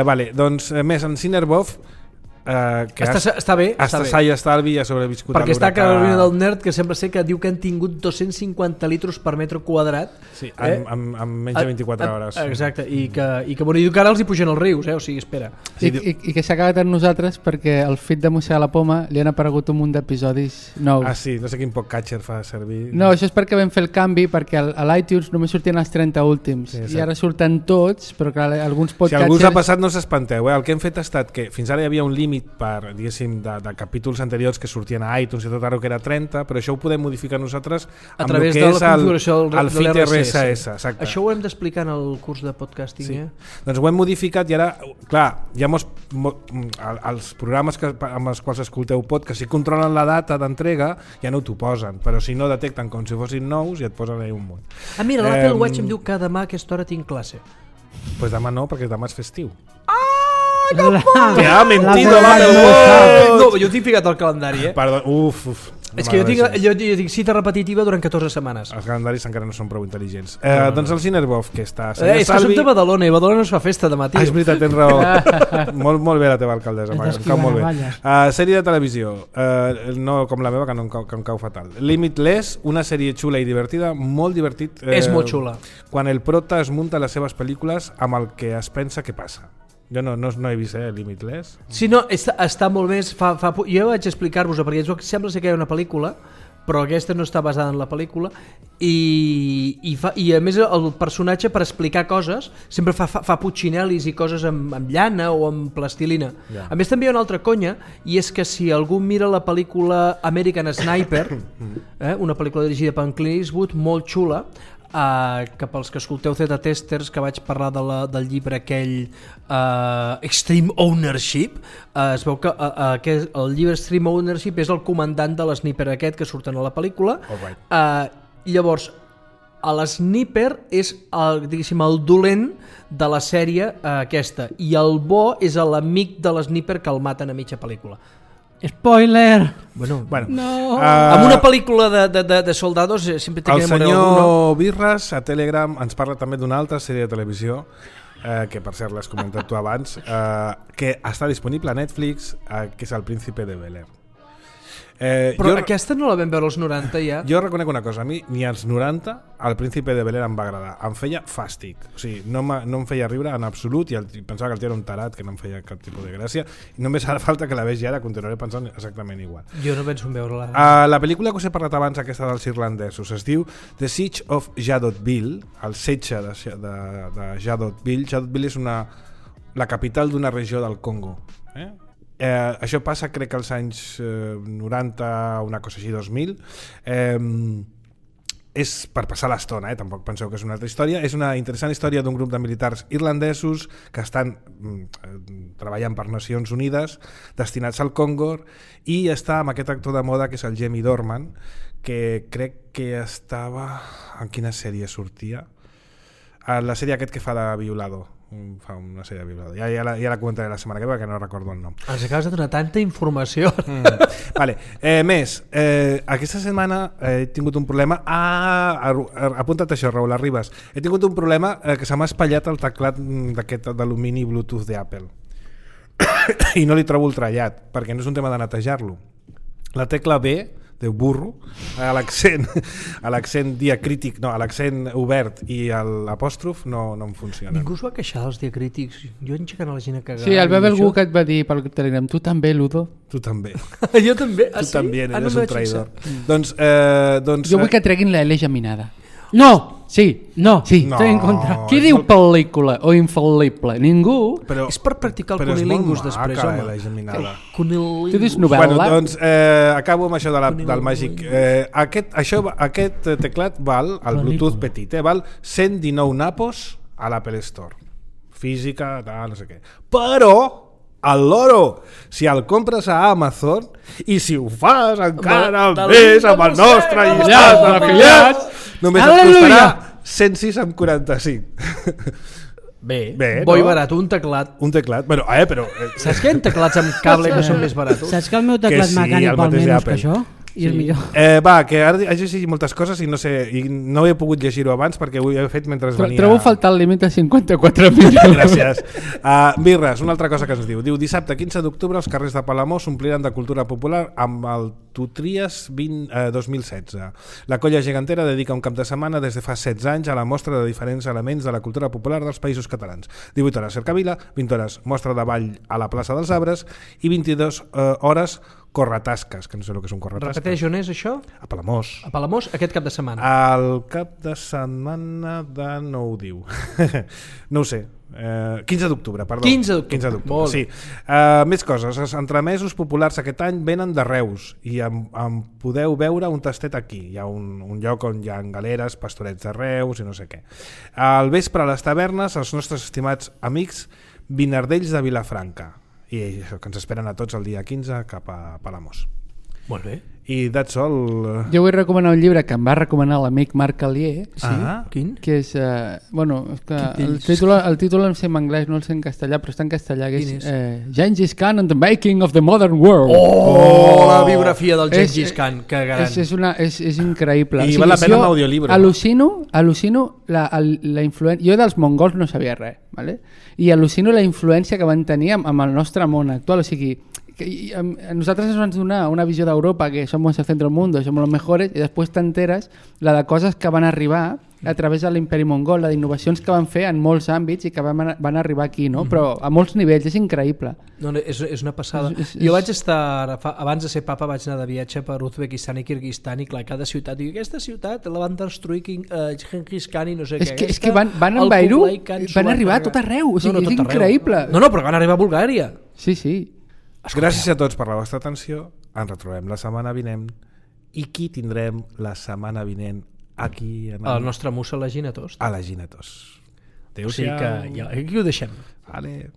Vale, doncs, més, en Cinerbov, que està bé. Sai Estalvi ha sobreviscut perquè està Carolina del Nerd, que sembla ser que diu que han tingut 250 litros per metre quadrat en menys de 24 hores. Exacte, i que diu que ara els hi pugen els rius, o sigui, espera. I que s'ha acabat amb nosaltres perquè al feed de Mossegar la Poma li han aparegut un munt d'episodis nous. Sí, no sé quin podcatcher fa servir. No, això és perquè vam fer el canvi, perquè a l'iTunes només sortien els 30 últims i ara surten tots, però clar, alguns podcatchers... Si algú us ha passat no s'espanteu, el que hem fet ha estat que fins ara hi havia un límit per, diguéssim, de capítols anteriors que sortien a iTunes i tot ara que era 30, però això ho podem modificar nosaltres a través de la configuració del feed RSS. Exacte. Això ho hem d'explicar en el curs de podcasting, Doncs ho hem modificat i ara, clar, ja els programes amb els quals escolteu podcast, si controlen la data d'entrega, ja no t'ho posen, però si no detecten com si fossin nous, ja et posen allà un munt. Mira, l'Apple Watch em diu que demà a aquesta hora tinc classe. Doncs demà no, perquè demà és festiu. Que ha mentido l'Apple Watch! No, jo tinc ficat al calendari, Perdó, és que jo tinc cita repetitiva durant 14 setmanes. Els calendaris encara no són prou intel·ligents. Doncs el Cinerbov, que està... És que som de Badalona i Badalona no es fa festa demà, tio. És veritat, tens raó. molt bé la teva alcaldessa, em cau molt bé. Sèrie de televisió, no com la meva, que em cau fatal. Limitless, una sèrie xula i divertida, molt divertit. És molt xula. Quan el prota es munta les seves pel·lícules amb el que es pensa que passa. Jo no he vist Limitless. Sí, no, està molt més... Jo vaig explicar-vos-ho, perquè sembla ser que hi ha una pel·lícula, però aquesta no està basada en la pel·lícula, i a més el personatge, per explicar coses, sempre fa putxinelis i coses amb llana o amb plastilina. A més també hi ha una altra conya, i és que si algú mira la pel·lícula American Sniper, una pel·lícula dirigida per Clint Eastwood, molt xula, que pels que escolteu Z-Testers, que vaig parlar del llibre aquell Extreme Ownership, es veu que el llibre Extreme Ownership és el comandant de l'sniper aquest que surten a la pel·lícula. Llavors l'sniper és el dolent de la sèrie aquesta, i el bo és l'amic de l'sniper que el maten a mitja pel·lícula. Spoiler! Bueno. No. Amb una pel·lícula de soldados sempre té que morir algú. El senyor Birras a Telegram ens parla també d'una altra sèrie de televisió que per cert l'has comentat tu abans, que està disponible a Netflix, que és El Príncipe de Bel-Air. Però aquesta no la vam veure als 90 ja. Jo reconec una cosa, a mi ni als 90 El Príncipe de Bel-Air em va agradar, em feia fàstic, o sigui, no em feia riure en absolut, i pensava que el tio era un tarat, que no em feia cap tipus de gràcia, i només farà falta que la vegi ara, continuaré pensant exactament igual. Jo no penso en veure-la. La pel·lícula que us he parlat abans, aquesta dels irlandesos, es diu The Siege of Jadotville, el setge de Jadotville. Jadotville és la capital d'una regió del Congo. Això passa, crec que als anys 90, una cosa així, 2000. És per passar l'estona, tampoc penseu que és una altra història. És una interessant història d'un grup de militars irlandesos que estan treballant per Nacions Unides, destinats al Congo, i està amb aquest actor de moda que és el Jamie Dornan, que crec que estava... En quina sèrie sortia? La sèrie aquest que fa de violador. Fa una sèrie de violador. Ja la comentaré la setmana que ve, perquè no recordo el nom. Ens acabes de donar tanta informació. Vale. Més, aquesta setmana he tingut un problema. Apunta't això, Raül Arribas. He tingut un problema que se m'ha espatllat el teclat d'aquest d'alumini Bluetooth d'Apple. I no li trobo el trellat, perquè no és un tema de netejar-lo. La tecla B de burro, a l'accent diacrític, no, a l'accent obert i l'apòstrof no em funciona. Ningú es va queixar dels diacrítics. Jo enxecant a la gent a cagar. Sí, el Bebel Guk et va dir pel Telegram, tu també, Ludo? Tu també. Jo també? Tu també, eres un traïdor. Doncs, jo vull que treguin la L geminada. No! Sí, no, sí. Estoy en contra. Qui diu pel·lícula o infal·lible? Ningú. És per practicar el cunilingus després, home. Tu dius novel·la? Bueno, doncs acabo amb això del màgic. Aquest teclat val, el Bluetooth petit, val 119 napos a l'Apple Store. Física, no sé què. Però el loro, si el compres a Amazon i si ho fas encara més amb el nostre llistat d'afiliats, només et costarà 106,45. Bé, bo i barat, un teclat. Un teclat, bueno, però... Saps que hi ha teclats amb cable que són més barats? Saps que el meu teclat mecànic val menys que això? I és millor. Va, que ara he llegit moltes coses i no sé, i no he pogut llegir-ho abans perquè ho he fet mentre venia... Trobo faltar el límit de 54 milions. Gràcies. Birres, una altra cosa que ens diu. Diu, dissabte 15 d'octubre els carrers de Palamós s'ompliran de cultura popular amb el Tutries 2016. La colla gegantera dedica un cap de setmana des de fa 16 anys a la mostra de diferents elements de la cultura popular dels països catalans. 18 hores cercavila, 20 hores mostra de ball a la plaça dels Arbres i 22 hores corretasques, que no sé el que és un corretasques. Repeteix, on és això? A Palamós. A Palamós, aquest cap de setmana. El cap de setmana no ho diu. No ho sé. 15 d'octubre, perdó. 15 d'octubre. Sí. Més coses. Els entremesos populars aquest any venen de Reus i en podeu veure un tastet aquí. Hi ha un lloc on hi ha galeres, pastorets de Reus i no sé què. Al vespre a les tavernes, els nostres estimats amics vinardells de Vilafranca. I això, que ens esperen a tots el dia 15 cap a Palamós. Molt bé. I that's all. Jo vull recomanar un llibre que em va recomanar l'amic Marc Alier. Sí? Quin? Que és... bueno, és que el títol em sé en anglès, no el sé en castellà, però està en castellà. Que és Gengis Khan and the Making of the Modern World. La biografia del Gengis Khan, que gran. És increïble. I val la pena un audiollibre. Al·lucino la influència... Jo dels mongols no sabia res, ¿vale? I al·lucino la influència que van tenir amb el nostre món actual. O sigui, a nosaltres ens van donar una visió d'Europa que som el centre del món, som els millors, i després t'enteres la de coses que van arribar a través de l'imperi mongol, la d'innovacions que van fer en molts àmbits i que van arribar aquí, no? Però a molts nivells, és increïble. No, és una passada. Jo vaig estar, abans de ser papa, vaig anar de viatge per Uzbekistan i Kirguistan i clar, cada ciutat, i aquesta ciutat la van destruir Gengis Khan i no sé què. És que van envair-ho, van arribar a tot arreu, o sigui, és increïble. No, però van arribar a Bulgària. Sí. Gràcies a tots per la vostra atenció. Ens retrobem la setmana vinent. I qui tindrem la setmana vinent aquí? El nostre musa a la Ginetos. A la Ginetos. Adéu-siau. O sigui que aquí ho deixem. Vale.